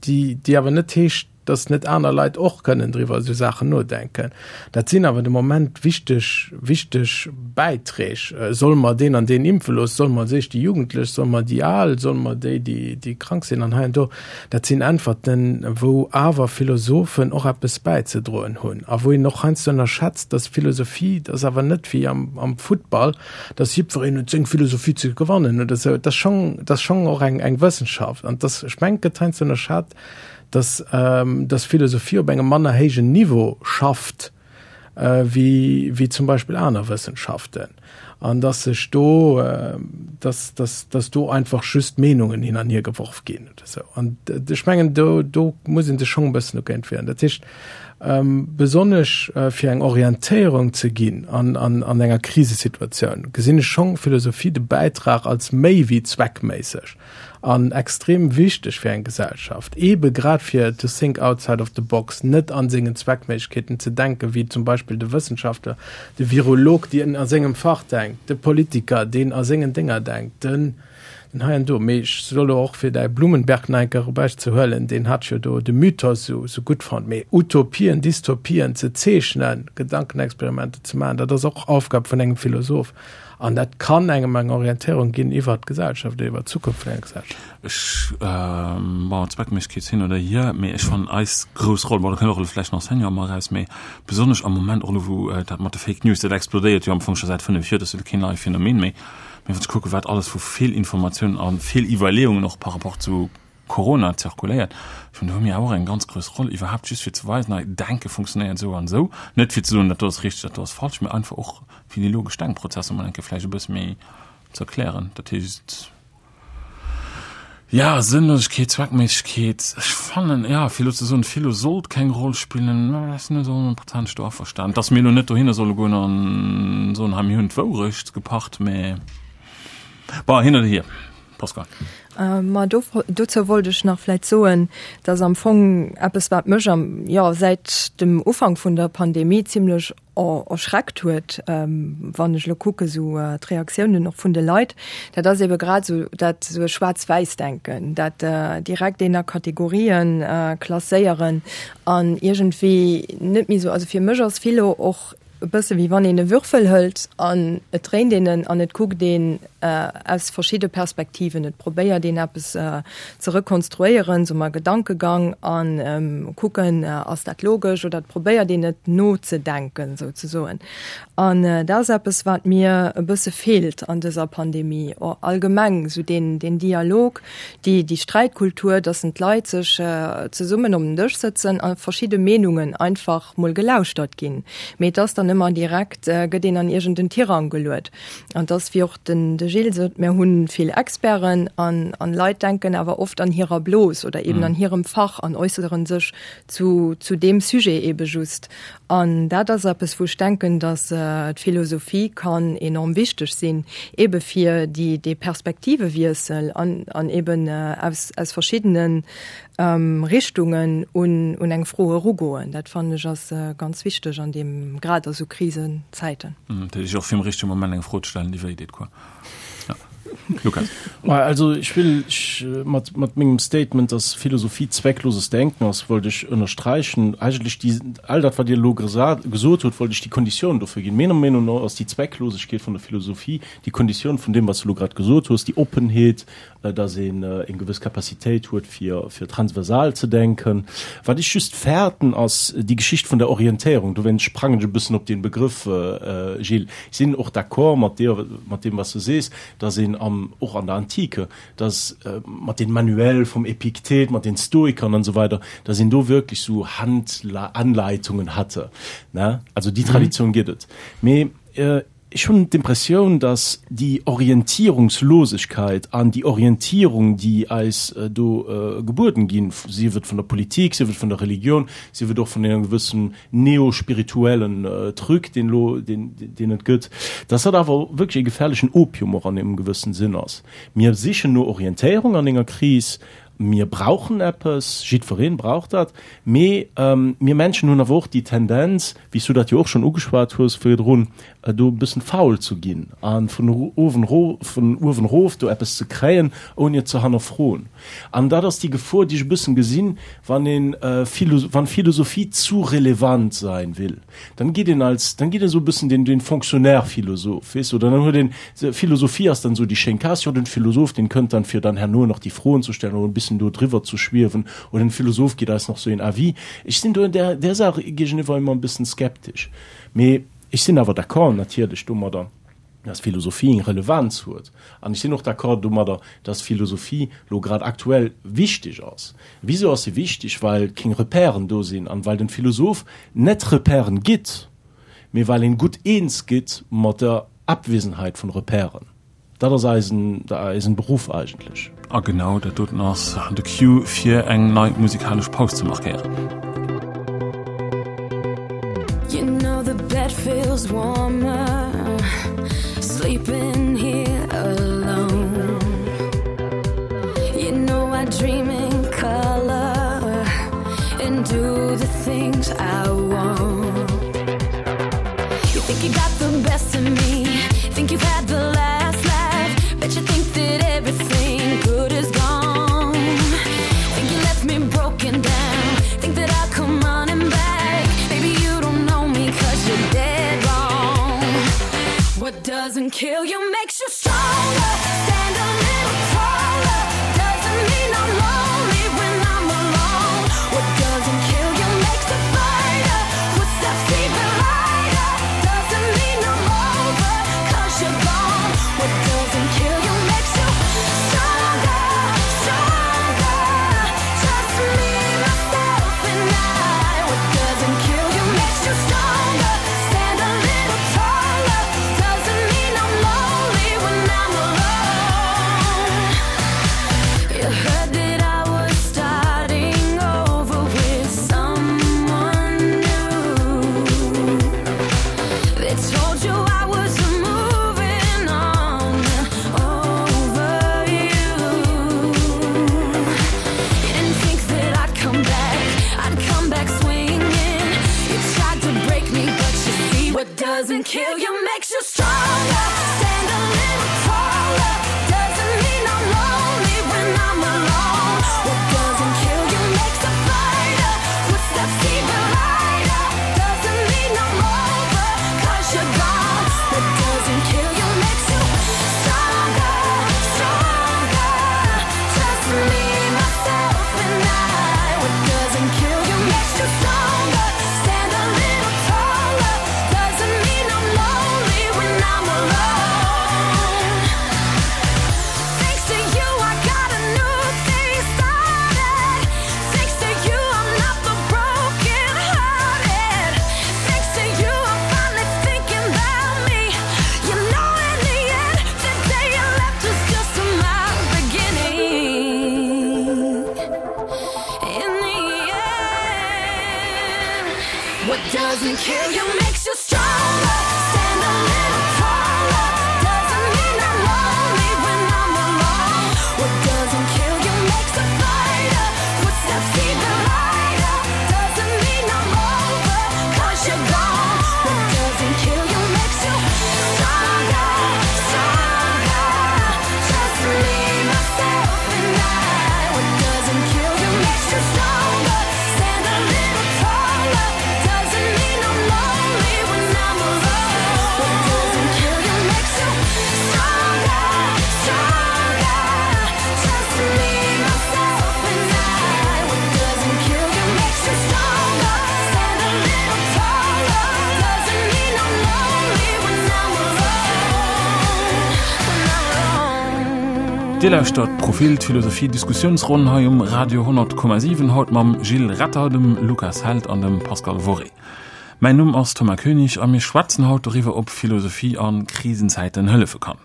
déi, déi awer net heescht, dass net aner Leit och kënnen driwwer esou Saachen nodenken. Dat sinn awer de Moment wichteg, wichteg Bäiträg. Solle mer deen an deen impfe loossen? Solle mer als éischt déi Jugendlech? Solle mer déi Al? Solle mer déi, déi, déi krank sinn an hei an do? Dat sinn Äntwerten, wou awer Philosophen och eppes bäizedroen hunn a wou een och heiansdo ënnerschätzt, dass Philosophie, dat ass awer net wéi am, am Futtball, dass jiddwereen huet seng Philosophie ze gewannen oder esou. Dat ass schonn, dat ass schonn och eng, eng Wëssenschaft. An dass, ech mengen, et gëtt heiansdo ënnerschat, dass, dass Philosophie op engem manner héijen Niveau schafft wéi, wéi zum Beispill aner Wëssenschaften. An dass sech do, dass, dass, dass do einfach just Meenungen hin an hier geworf ginn oder esou. An ech mengen, do, do muss ee sech schonn e bëssen dogéint wieren. Dat heescht, besonnesch fir eng Orientéierung ze ginn an, an, an enger Krisesituatioun, gesinn ech schonn Philosophie de Bäitrag als méi wéi zweckméisseg an extrem wichteg fir eng Gesellschaft, eebe grad fir to think outside of the box, net an sengen Zweckméiglechkeeten ze denken, wéi zum Beispill de Wëssenschaftler, de Virolog, deen a sengem Fach denkt, de Politiker, deen a sengen Dénger denkt, den den hei an do. Mee ech soll elo och, fir däi Blumenberg nach eng Kéier erbäizehuelen, deen hat jo do de Mythos esou esou gutt fonnt, mee Utopien, Dystopien ze zeechnen, Gedankenexperimenter ze maachen, dat ass och Aufgab vun engem Philosoph. An dat kann engem eng Orientéierung ginn iwwert d'Gesellschaft oder iwwert d'Zukunft vun enger Gesellschaft. Ech, bon, Zweckméissegkeet hin oder hier, mee ech fannen eis grouss Roll, bon, do kënnt och elo vläicht den Enseignant emol eraus, mee besonnesch am Moment och elo, wou dat mat de Fake News, dat explodéiert jo am Fong scho säit fënnef Joer, dat ass jo elo keen neit Phänomen méi, mee wann ech kucken, wat alles vu Feelinformatiounen a Feeliwwerleeungen och par rapport zu Corona zirkuléiert, ech mengen, do hu mir awer och eng ganz grouss Roll, iwwerhaapt just fir ze weisen, hei, Denke funktionéiert esou an esou, net fir ze soen, dat do ass richteg, dat do ass falsch, mee einfach och fir déi logesch Denkprozesser mol eng Kéier vläicht e bësse méi ze erklären. Dat heescht, jo, Sënnlosegkeet, Zweckméissegkeet, ech fannen, jo, fir elo ze soen, Philo sollt keng Roll spillen, ech sinn net esou honnertprozenteg do averstanen, dass mir elo net dohinner solle goen a soen, hei, mir hunn d'Wourecht gepacht, mä bon, hin oder hier. Pascal. Ma do, dozou wollt ech nach vläit soen, dass am Fong eppes, wat mech am, jo, säit dem Ufank vun der Pandemie zimlech erschreckt huet, wann ech elo kucke sou d'Reaktiounen och vun de Leit, dat ass ebe grad esou dat esou e Schwaarz-Wäiss-Denken, dat direkt een a Kategorien klasséieren an iergendwéi net méi esou, also fir mech ass Philo och e bësse wéi wann een e Würfel hëlt an et dréint een en an et kuckt een aus verschidde Perspektiven, et probéiert een eppes ze rekonstruéieren, soe mer Gedankegang a kucken, ass dat logesch oder et probéiert een et nozedenken souzesoen. An dat ass eppes, wat mir e bësse feelt an dëser Pandemie, allgemeng esou deen Dialog, déi Sträitkultur, datt d'Leit sech zesummen op den Dësch sëtzen a verschidde Meenungen einfach mol gelauschtert ginn. Mee et ass dann ëmmer direkt, gëtt een an iergend en Tirang geluet. An et ass, wéi och den de Gilles sot, mir hu vill Experten an an Leit denken awer oft an hirer Blos oder eben an hirem Fach an äusseren sech zu zu deem Sujet ebe just. An dat ass eppes, wou ech denken, datt d'Philosophie kann enorm wichteg sinn, ebe fir déi dee Perspektivewiessel an an eben aus aus verschiddenen Richtungen un un eng Fro erugoen. Dat fannen ech ass ganz wichteg an deem, grad a sou Krisenzäiten. Dat heescht och fir am richtege Moment eng Fro ze stellen, déi wéi deet, quoi. Ja. Lukas. Also ech will ech mat mat mengem Statement, dass Philosophie zweckloses Denken ass, wollt ech ënnersträichen, eigentlech déi, all dat wat Dir elo gesot hutt, wollt ech déi Konditioun dofir ginn. Menger Meenung no ass déi Zwecklosegkeet vun der Philosophie déi Konditioun vun deem, wat s de elo grad gesot hues, déi Oppenheet, dass een eng gewëss Capacitéit huet fir fir transversal ze denken. Wat ech just fäerten ass déi Geschicht vun der Orientéierung. Dowéinst sprangen ech e bëssen op dee Begrëff, Gilles. Ech sinn och d'accord mat dir, mat deem wat s de sees, dass een am, och an der Antike, dass mat den Manuelle vum Epiktet, mat den Stoikern an esou weider, dass een do wierklech sou Handanleitungen hatte, ne? Also déi Traditioun gëtt et. Mee Ech hunn d'Impressioun, dass déi Orientierungslosigkeit an déi Orientierung, déi eis do gebueden ginn, sief et vun der Politik, sief et vun der Religion, sief et och vun engem gewëssen neospirituellen Truc, deen elo, deen, deen et gëtt, dass dat awer wierklech e gefährlechen Opium och an engem gewëssen Sinn ass. Mir sichen no Orientéierung an enger Kris, Mir brauchen eppes, jiddwereen brauch dat, mee mir Menschen hunn awer och déi Tendenz, wéi s du dat jo och schonn ugeschwat hues virdrun, do e bëssen faul ze ginn a vun uewen vun uewen erof do eppes ze kréien, ouni et ze hannerfroen. An dat ass déi Gefor, déi ech e bëssen gesinn, wann een wann Philosophie zu relevant sein will. Dann geet een als, dann geet een esou e bëssen den den Fonctionnaire-Philosoph, weess du, oder dann huet een, Philosophie ass dann esou déi schéin Case, jo den Philosoph, deen kënnt dann fir dann herno nach déi Froen ze stellen oder e bëssen do driwwer ze schwiewen oder den Philosoph geet eis nach sou een Avis. Ech sinn do där där Saach géigeniwwer ëmmer e bëssen skeptesch. Mee ech sinn awer d'accord natierlech domadder, dass Philosophie eng Relevanz huet. An ech sinn och d'accord domadder, dass Philosophie lo grad aktuell wichteg ass. Wisou ass se wichteg? Well keng Repèren do sinn an well den Philosoph net Repèren gitt, mee well een gutt eens gitt mat der Abwesenheit vun Repèren. Dat ass eisen, eisen Beruff eigentlech. A genau dat doten ass de Cue fir eng nei musikalesch Paus ze markéieren. You know the bed feels warmer sleeping here alone You know I dream in color and do the things I want You think you got the best of me think you've had the last laugh Bet you think that everything good is gone Think you left me broken down think that I'll come running back Baby you don't know me 'cause you're dead wrong What doesn't kill you makes you stronger Stand a little taller Doesn't mean I'm lonely when I'm alone What doesn't kill you makes a fighter Footsteps even lighter Doesn't mean I'm over 'cause you're gone What doesn't kill you makes you stronger, stronger Just me, myself and I What doesn't kill you makes you stronger Stand a little taller Doesn't mean I'm lonely when I'm alone You heard that I was starting over with someone new They told you I was moving on over you You didn't think that I'd come back, I'd come back swinging You tried to break me, but you see what doesn't kill you makes you stronger Stand a little taller Doesn't mean I'm lonely when I'm alone What doesn't kill you makes a fighter Footsteps even lighter Doesn't mean I'm over 'cause you're gone What doesn't kill you makes you stronger, stronger Just me, myself and I What doesn't kill you makes you stronger Stand a little taller Doesn't mean I'm lonely when I'm alone Thanks to you I got a new thing started Thanks to you I'm not the broken hearted Thanks to you I'm finally thinking about me You know in the end the day you left was just my beginning In the end What doesn't kill you makes you stronger Stand a little taller Doesn't mean I'm lonely when I'm alone What doesn't kill you makes a fighter Footsteps even lighter Doesn't mean I'm over 'cause you're gone What doesn't kill you makes you stronger, stronger Just me, myself and I What doesn't kill you makes you stronger Stand a little taller Doesn't mean I'm lonely when I'm alone What doesn't kill you makes you stronger, stronger Just me, myself and I What doesn't kill you makes you stronger Stand a little taller Doesn't mean I'm lonely when I'm alone When I'm alone Dir lauschtert Profil d'Philosophie Diskussiounsronn hei um Radio honnert Komma siwen, haut mam Gilles Retter, dem Lukas Held an dem Pascal Worré. Mäin Numm ass Thomas Koenig a mir schwätzen haut doriwwer, ob Philosophie a Krisenzäiten hëllefe kann.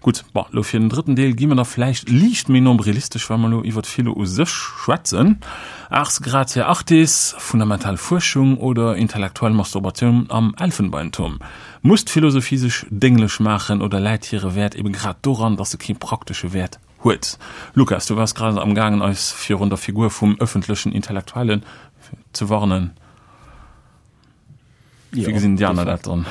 Gutt, bon, lo fir den drëtten Deel gi mer da vläicht liicht méi nombrilistesch, well mer lo iwwert Philo u sech schwätzen. Ars gratia artis, fundamental Fuerschung oder intellektuell Masturbatioun am Elfenbeinturm? Muss d'Philosophie sech dénglech maachen oder läit hire Wäert ebe grad doran, dass se kee praktesche Wäert huet. Lukas, du waars grad am gaangen eis virun der Figur vum ëffentlechen Intellektuellen ze warnen. Wéi gesinn déi aner dat dann?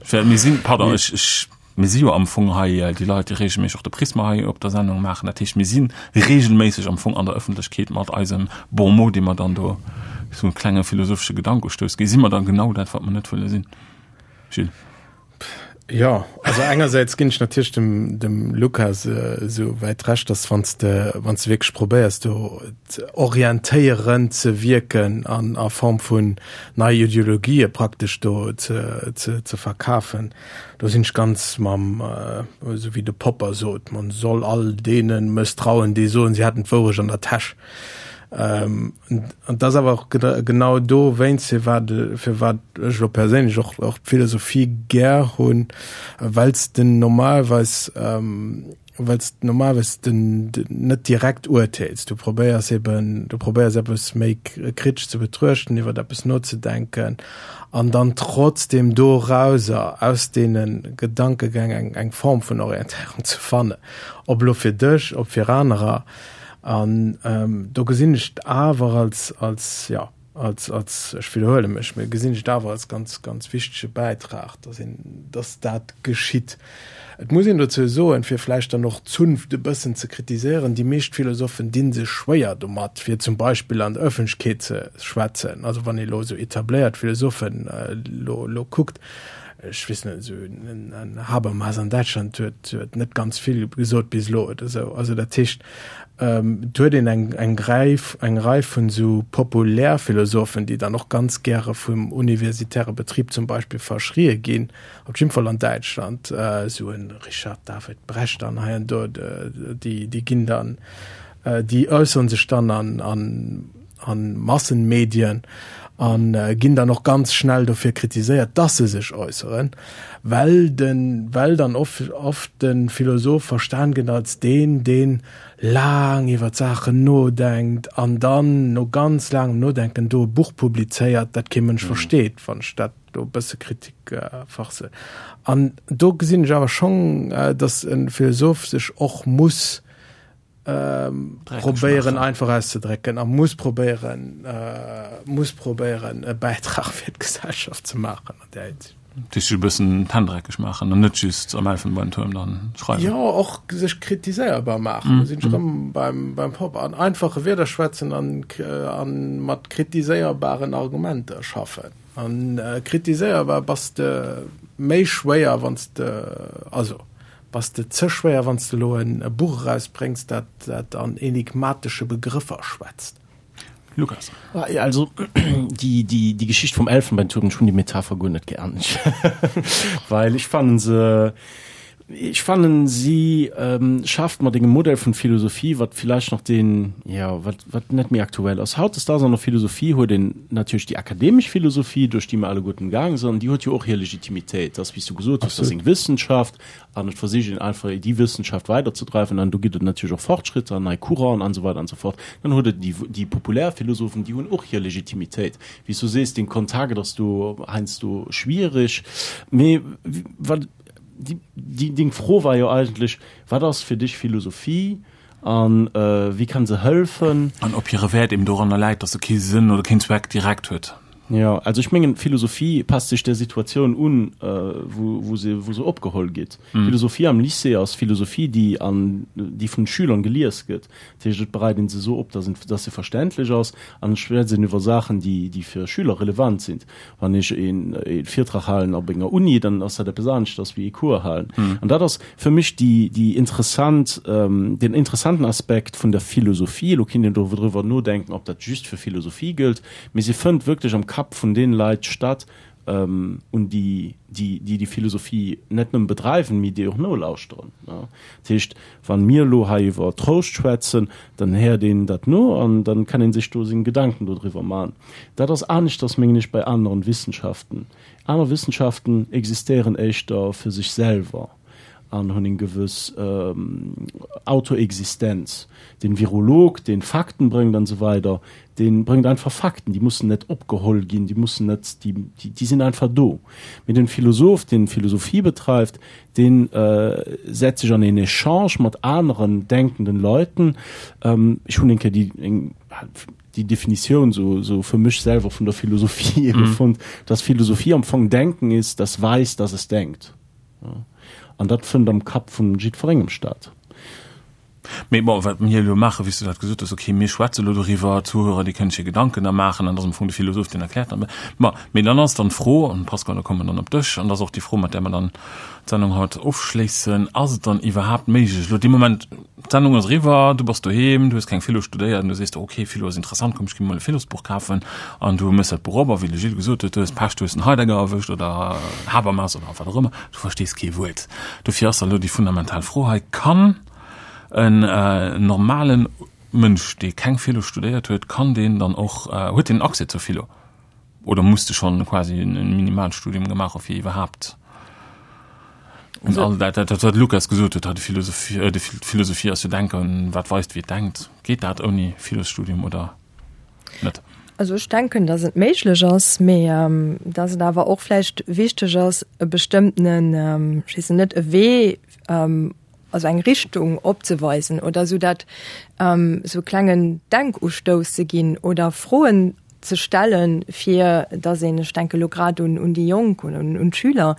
Well mir sinn, pardon, ech, ech, mir si jo am Fong hei déi Leit, déi regelméisseg och de Prisma hei op der Sendung maachen. Dat heescht, mir si regelméisseg am Fong an der Ëffentlechkeet mat eisem Bon mot, dee mer dann do esou e klenge philosophesche Gedankustouss ginn. Si mer dann genau dat, wat mer net wëlle sinn? Gilles. Jo, also engersäits ginn ech natierlech dem, dem Lukas esou wäit Recht, dass wann s de, wann s de wierklech probéiers do orientéierend ze wierken an a Form vun nei Ideologië praktesch do ze, ze, ze verkafen, do sinn ech ganz mam, esou wéi de Popper sot, man soll all deene mësstrauen, déi soen, si hätten d'Wourecht an der Täsch. An et ass awer och genau dowéinst, firwat firwat ech elo perséinlech och och d'Philosophie gär hunn, well s de normalerweis well s de normalerweis den net direkt urteels. Du probéiers eben, du probéiers eppes méi kritesch ze betruechten, iwwer eppes nozedenken an dann trotzdem dorauser, aus deene Gedankegäng eng eng Form vun Orientéierung ze fannen, ob elo fir dech, ob fir anerer. An do gesinn ech et awer als, als, jo, als, als, ech widderhuele mech, mee gesinn ech et awer als ganz, ganz wichtege Bäitrag, dass een, dass dat geschitt. Et muss een dozou soen, fir vläicht dann och d'Zunft e bëssen ze kritiséieren, déi meescht Philosophen di sech schwéier domat, fir zum Beispill an der Ëffentlechkeet ze schwätzen. Also wann ee elo esou etabléiert Philosophen elo, elo kuckt, ech weess net, esou en Habermas an Däitschland huet, huet net ganz vill gesot bis elo oder esou. Also dat heescht, et huet een eng, eng Rei, eng Rei vun esou Populärphilosophen, déi dann och ganz gäre vum universitäre Betrib zum Beispill verschrië ginn, op jidde Fall an Däitschland, esou en Richard David Brecht an hei an do, déi, déi ginn dann, déi äussere sech dann an, an, an Massenmedien an ginn dann och ganz schnell dofir kritiséiert, dass se sech äusseren, well den, well dann oft, oft de Philosoph verstan gëtt als deen, deen laang iwwer d'Saachen nodenkt an dann no ganz laangem Nodenken do e Buch publizéiert, dat kee Mënsch versteet, wann ech dat do e bësse Kritik farce. An do gesinn ech awer schonn, dass e Philosoph sech och muss probéieren einfach auszedrécken a muss probéieren, muss probéieren e Bäitrag fir d'Gesellschaft ze maachen an där Hinsicht. Dat heescht, sech e bëssen d'Hänn dreckeg maachen an net just am Elfenbeintuerm dann schreiwen. Jo, och sech kritiséierbar maachen. Do sinn ech erëm beim, beim Popper. An einfache Wierder schwätzen an, a mat kritiséierbaren Argumenter schaffen. An kritiséierbar bass de méi schwéier, wann s de, also Bass de ze schwéier, wann s de elo e Buch erausbréngs, dat dat an enigmatesche Begrëffer schwätzt? Lukas. Also déi, déi, déi Geschicht vum Elfenbeintuerm, ech hunn déi Metapher guer net gär, well ech fannen se, ech fannen si schafft mat engem Modell vun Philosophie, wat villäicht nach deen, jo, wat, wat net méi aktuell ass. Hautdesdaags an der Philosophie huet een natierlech déi akademesch Philosophie, duerch déi mer alleguerten gaange sinn, an déi huet jo och hir Legitimitéit. Dat ass, wéi s du gesot hues, dat ass eng Wissenschaft, An et versicht een einfach, déi Wëssenschaft weiderzedreiwen. An do ginn et natierlech och Fortschritter an nei Couranten an esou weider an esou fort. Dann huet et déi, déi populär Philosophen, déi hunn och hir Legitimitéit. Wéi s du sees, dee Kontakt ass do heiansdo schwierig. Mee wat, déi, déi, deng Fro war jo eigentlech, Wat ass fir dech Philosophie a wéi kann se hëlfen? An ob hire Wäert eben doranner läit, datt se kee Sënn oder keen Zweck direkt huet. Jo, also ech mengen, d'Philosophie passt sech der Situatioun un, wou, wou se, wou se opgeholl gitt. Philosophie am Lycée ass Philosophie, déi an, déi vun Schülern gelies gëtt. Dat heescht, et bereit een se esou op, dass en, dass se verständlech ass an et schwätzt een iwwer Saachen, déi, déi fir Schüler relevant sinn. Wann ech een, ee Virtrag halen op enger Uni, dann ass dat eppes aneschters wéi ee Cours halen. An dat ass fir mech déi, déi interessant, deen interessanten Aspekt vun der Philosophie. Elo kinnt een doriwwer nodenken, ob dat just fir Philosophie gëllt. Mee se fënnt wierklech am Kapp vun deene Leit statt, un déi, déi déi Philosophie net nëmme bedreiwen, mee déi och nolauschteren. Dat heescht, wa mir elo hei iwwer Trouscht schwätzen, dann héiert een dat no an dann kann ee sech do seng Gedanken dodriwwer maachen. Dat ass aneschters, mengen ech, bei aneren Wissenschaften. Aner Wissenschaften existéieren éischter fir sech selwer. an hunn eng gewëss Autoexistenz. Den Virolog, deen Fakten bréngt an esou weider, deen bréngt einfach Fakten, déi mussen net opgeholl ginn, déi mussen net, déi, déi sinn einfach do. Mee den Philosoph, deen Philosophie betreift, deen setzt sech an een Echange mat aneren denkenden Leuten. Ech hunn eng Kéier déi, eng, déi Definitioun sou, sou fir mech selwer vun der Philosophie ebe fonnt, dass Philosophie am Fong Denken ist, das weiß, dass es denkt. An dat fënnt am Kapp vun jiddwerengem statt. Mee bon, wat mir elo maachen, wéi s du dat gesot hues, okay, mir schwätze elo doriwwer, d'Zuhörer, déi kënnen sech hir Gedanken da maachen, an dat ass am Fong de Philosoph, deen erkläert dann. Ma, mee dann ass dann d'Fro, an Pascal, da komme mer dann op dech, an dat ass och déi Fro, mat där mer dann d'Sendung haut ofschléissen, Ass et dann iwwerhaapt méiglech, elo dee Moment, d'Sendung ass eriwwer, du bass doheem, du hues keng Philo studéiert an du sees der, okay, Philo ass interessant, komm, ech gi mer mol e Philosbuch kafen, an du méchs dat Buch op a wéi de Gilles gesot huet, du hues Pech, du hues den Heidegger erwëscht oder Habermas oder wat och ëmmer, du verstees kee Wuert. Dofir ass da elo déi fundamental Fro hei, Kann en normalen Mënsch, dee keng Philo studéiert huet, kann deen dann och, huet deen Accès zur Philo oder muss de schonn quasi e Minimalstudium gemaach hu fir iwwerhaapt un all dat, dat wat Lukas gesot huet, de Philosophie, de Philosophie ass jo denken, wat weist wéi et denkt. Geet dat ouni Philosstudium oder net? Also ech denken, datt et méiglech ass, mee datt et awer och vläicht wichteg ass, e bestëmmtenen, ech weess net, e Wee, also eng Richtung opzeweisen oder esou dat esou e klengen Denkustouss ze ginn oder Froen ze stellen, fir datt een, ech denke elo grad un un déi Jonk oder un d'Schüler,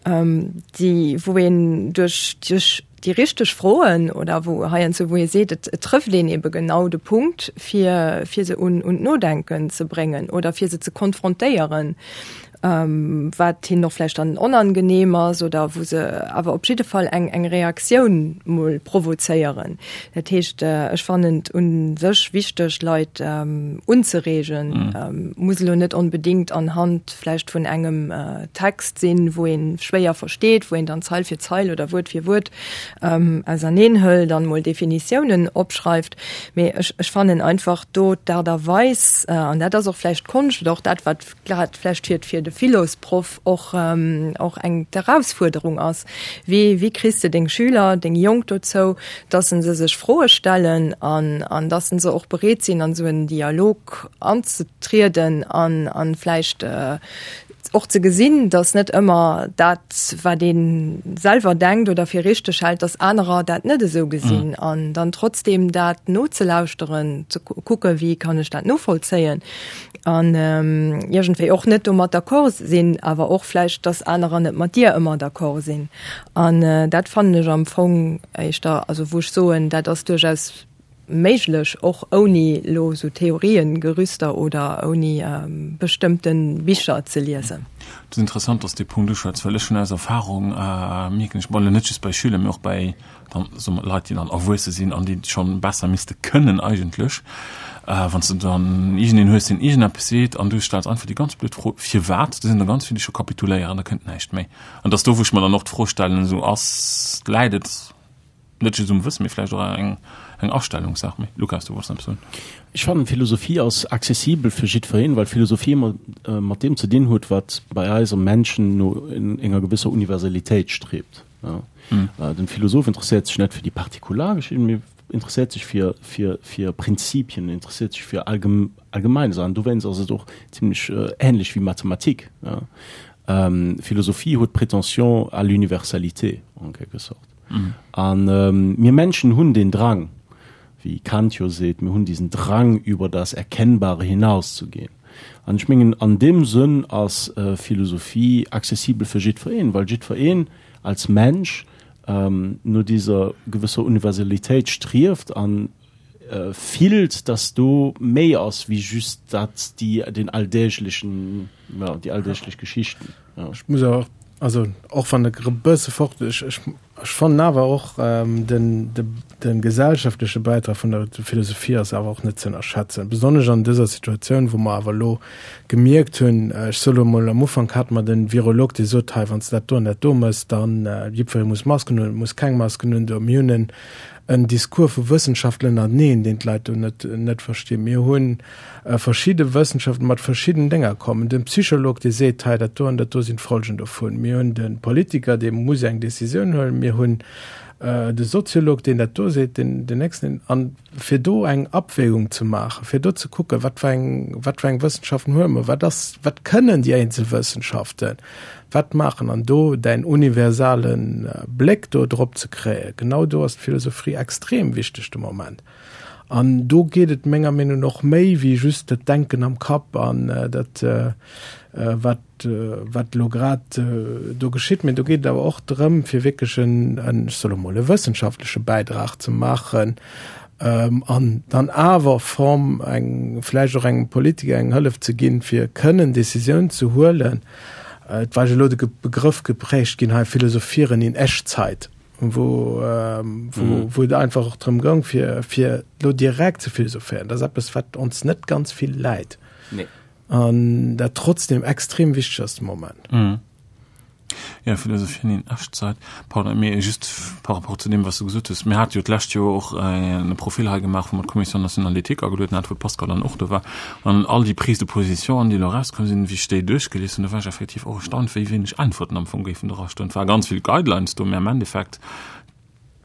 déi wou een duerch duerch déi richteg Froen oder wou heiansdo wou ee seet, et et trëfft een ebe genau de Punkt, fir fir se un un d'Nodenken ze bréngen oder fir se ze konfrontéieren. wat hinnen och vläicht dann onangenehm ass oder wou se awer op jidde Fall eng eng Reaktioun mol provozéieren. Dat heescht, ech fannen et u sech wichteg, Leit unzereegen, muss elo net onbedéngt anhand vläicht vun engem Text sinn, wou ee schwéier versteet, wou een dann Zeil fir Zeil oder Wuert fir Wuert auserneen hëlt an mol Definitiounen opschreift. Mee ech ech fannen einfach do d'Aart a Weis, an dat ass och vläicht d'Konscht oder och dat, wat grad vläicht fir fir de Philosproff och och eng d'Erausfuerderung ass, wéi wéi kriss de deng Schüler, deng Jonk dozou, dass se sech Froe stellen an an dass se och bereet sinn an esou en Dialog anzetrieden an an vläicht och ze gesinn, dass net ëmmer dat wat ee selwer denkt oder fir richteg hält, dass anerer dat net esou gesinn an dann trotzdem dat nozelauschteren, ze kucke wéi kann ech dat novollzéien an iergendwéi och net domat d'accord sinn, awer och vläicht, dass anerer net mat dir ëmmer d'accord sinn. An dat fannen ech am Fong éischter, also wou ech soen, dat ass duerchaus méiglech, och ouni elo esou Theoriengerüster oder ouni bestëmmte Bicher ze liesen. Et ass interessant, dass de dee Punkt uschwätz, well ech hunn aus Erfahrung mierken ech, bon elo net just bei Schüler, mee och bei dann, soe mer, Leit, déi dann erwuesse sinn an déi et schonn besser misste kënnen eigentlech, wann s de dann iergendeen hues, deen iergendeppes seet an du stells einfach déi ganz blöd Fro, Firwat? Do sinn der ganz vill, déi scho kapituléieren, da kënnt näischt méi. An et ass do, wou ech mer dann och d'Fro stellen, esou, ass, läit et net just um Wëssen, mee vläicht och eng eng Astellungssaach? Mee Lukas, du wollts eppes soen. Ech fannen, Philosophie ass accessibel fir jiddwereen, well Philosophie ëmmer mat deem ze dinn huet, wat bei eis am Menschen no enger gewësser Universalitéit strebt. Den Philosoph interesséiert sech net fir déi partikular Geschichten, mee interesséiert sech fir, fir, fir Prinzipien, interesséiert sech fir allgemein Saachen. Dowéinst ass et och zimlech ähnlech wéi Mathematik. Philosophie huet d'Prétention à l'universalité en quelque sorte. An mir Menschen hunn den Drang, wéi Kant jo seet, mir hunn diesen Drang über das Erkennbare hinauszugehen. An ech mengen, an deem Sënn ass Philosophie accessibel fir jiddwereen, well jiddwereen als Mensch no dieser gewësser Universalitéit strieft an fillt, dass do méi ass wéi just dat, déi, den alldäglichen, ja, déi alldäglech Geschichten. Ja. Ech muss awer och, also och wann e bësse fort, ech, ech, ech fannen awer och den, de, de gesellschaftleche Bäitrag vun der Philosophie ass awer och net ze ënnerschätzen, besonnesch an dëser Situatioun, wou mer awer elo gemierkt hunn, ech soe lo emol, am Ufank hate mer de Virolog, dee sot, hei, wann s de dat do an dat do méchs, dann jiddweree muss Masken hunn, muss keng Masken hunn, do. Mir hunn en en Discours vu Wëssenschaftler ënnerteneen, deen d'Leit do net, net verstinn. Mir hunn verschidde Wëssenschaften mat verschidden Dénger kommen. Den Psycholog, dee seet, hei dat do an dat do sinn d'Folgen dovun. Mir hunn de Politiker, dee muss eng Decisioun huelen. Mir hunn de Soziolog, deen dat do seet, deen, den nächsten. An fir do eng Abwägung ze maachen, fir do ze kucken, wat fir eng, wat fir eng Wëssenschaften huele mer, wat ass, wat kënnen déi eenzel Wëssenschaften, wat maachen an do däin universale Bléck do drop ze kréien, genau do ass d'Philosophie extrem wichteg de Moment. An do geet et menger Meenung no och méi wéi just dat Denken am Kapp an dat, wat, wat elo grad do geschitt, mee do geet et awer och drëm, fir wierklech en, ech soe lo mol, e wëssenschaftleche Bäidrag ze maachen an dann awer Form eng, vläicht och engem Politiker eng Hëllef ze ginn, fir kënnen Décisioun ze huelen. Et war jo elo de Begrëff geprägt ginn hei, Philosophieren in Echtzeit, wou, wou, wou et einfach och drëm goung, fir, fir elo direkt ze philosophéieren. Dat ass eppes, wat ons net ganz vill läit. Nee. An dat trotzdem extrem wichteg ass de Moment. Mhm. Ja, Philosophieren in Echtzeit. Pardon, mee just par rapport zu deem, wat s du gesot hues, Mir hate jo d'lescht Joer och e Profil hei gemaach, wou mer d'Commission nationale d'éthique agelueden haten, wou d'Pascale dann och do war. An all déi Prises de position, déi elo erauskomm sinn, wéi ech déi duerchgelies hunn, do war ech effektiv och erstaunt, wéi wéineg Äntwerten am Fong géifen dra stoen. Et ware ganz vill Guidelines do, mä am Endeffekt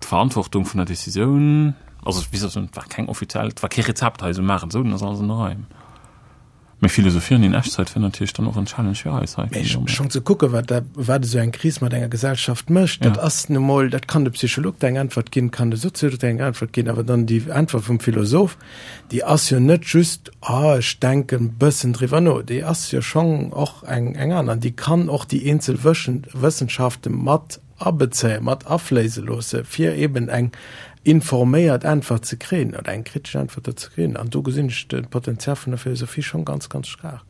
d'Verantwortung vun der Decisioun, also wéi soll ech soen, et war keng offiziell, et war kee Rezept hei, esou maachen, esou, dann ass alles an der Rei. Mee philosophieren in Echtzeit wär natierlech dann och en Challenge fir eis hei. Mee schonn ze kucken, wat dat, wat esou eng Kris mat enger Gesellschaft mécht, dat ass nu mol, dat kann de Psycholog der eng Äntwert ginn, kann de Soziolog der eng Äntwert ginn, awer dann déi Äntwert vum Philosoph, déi ass jo net just, ah, ech denken e bëssen driwwer no, déi ass jo schonn och eng, eng aner an déi kann och déi eenzel Wëssenschafte mat abezéien, mat afléise loosse, fir eben eng informéiert Äntwert ze kréien oder eng kritesch Äntwert do ze kréien. An do gesinn ech de Potenzial vun der Philosophie schonn ganz, ganz staark.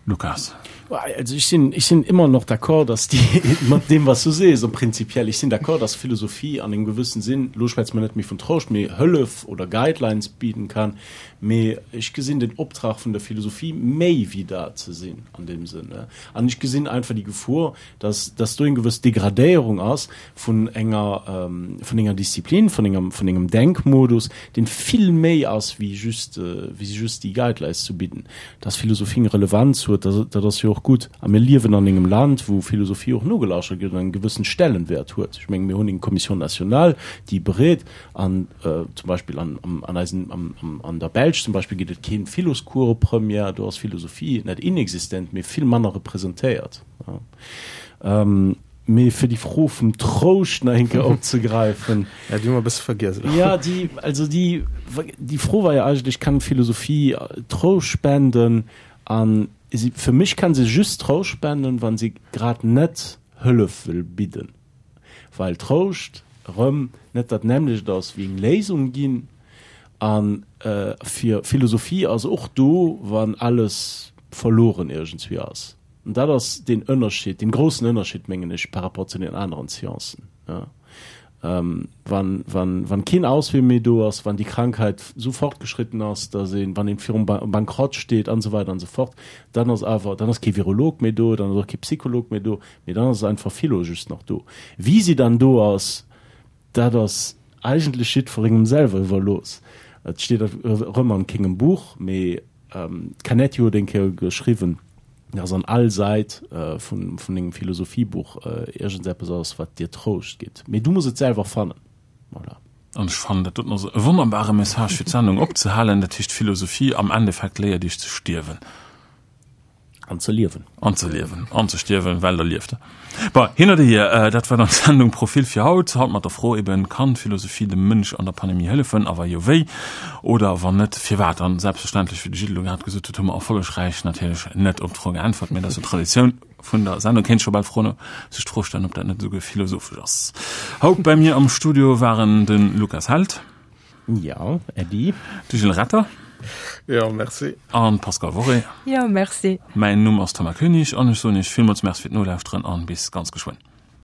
Lukas. Also ich sinn, ich sinn immer noch d'accord, dass déi, mat deem was du sees, am prinzipiell, ich sinn d'accord, dass Philosophie an engem gewëssen Sinn, elo schwätze mer net méi vun Trouscht, mee Hëllef oder Guidelines bieden kann, mee ech gesinn den Optrag vun der Philosophie méi wéi dat ze sinn an deem Sënn. An ech gesinn einfach déi Gefor, dass, dass do eng gewëss Degradéierung ass vun enger, vun enger Disziplin, vun engem, vun engem Denkmodus, deen vill méi ass wéi just, wéi just déi Guidelines ze bidden. Dass Philosophie eng Relevanz huet, dat, dat ass jo och gutt. A mir liewen an engem Land, wou Philosophie och nogelasschert gëtt an en gewëssen Stellenwert huet. Ech mengen, mir hunn eng Commission nationale, déi beréit an zum Beispill an, an eisen, am, am, an der Belsch zum Beispill gëtt et keen Philoscours op Première, do ass Philosophie net inexistent, mee vill manner representéiert. Mee fir déi Fro vum Trouscht nach eng Kéier opzegräifen. Ja, déi hu mer e bësse vergiess elo. Ja, déi, also déi, déi Fro war jo eigentlech, Kann Philosophie Trouscht spenden? An si, fir mech kann se just Trouscht spenden, wa se grad net Hëllef wëll bidden. Well Trouscht erëm net dat nämmlecht ass wéi eng Léisung ginn. A fir Philosophie ass och do, wann alles verloren iergendswéi ass. An dat ass deen Ënnerscheed, deen groussen Ënnerscheed, mengen ech, par rapport zu den aneren Sciencen. Ja. Ähm, wann, wann, wann keen Auswee méi do ass, wann déi Krankheit esou fortgeschritten ass, dass een, wann een virum Bankrott steet an esou weider an esou fort, dann ass awer, dann ass kee Virolog méi do, dann ass och kee Psycholog méi do, mee dann ass einfach Philo just nach do. Wéi si dann do ass, dat ass eigentlech jiddwerengem selwer iwwerlooss. Et steet erëm an kengem Buch, mee D'Canetti huet eng Kéier geschriwwen, dass an all Säit vun engem Philosophiebuch iergendseppes ass, wat dir Trouscht gitt. Mee du muss et selwer fannen. Voilà. An ech fannen, dat doten ass e wonnerbare Message, fir d'Sendung opzehalen. Dat heescht, Philosophie am Endeffekt léiert iech ze stierwen. An ze liewen. An ze liewen. An ze stierwen, well da lieft Der. Bon, hin oder hier, dat war dann d'Sendung Profil fir haut. Haut mat der Fro eben, Kann d'Philosophie dem Mënsch an der Pandemie hëllefen? A wa jo, wéi? Oder wann net, firwat? An selbstverständlech, wéi de Gilles elo grad gesot huet, hu mer erfollegräich natierlech net op d'Fro geäntwert, mä dat ass jo d'Traditioun vun der Sendung. Kéint scho bal d'Fro, sech d'Fro stellen, ob dat net esouguer philosophesch ass. Haut bei mir am Studio waren de Lukas Held. Jo, Äddi. De Gilles Retter. Jo, merci. An d'Pascale Worré. Jo, merci. Mäin Numm ass Thomas Koenig an ech soen Iech villmools Merci fir d'Nolauschteren an bis ganz geschwënn.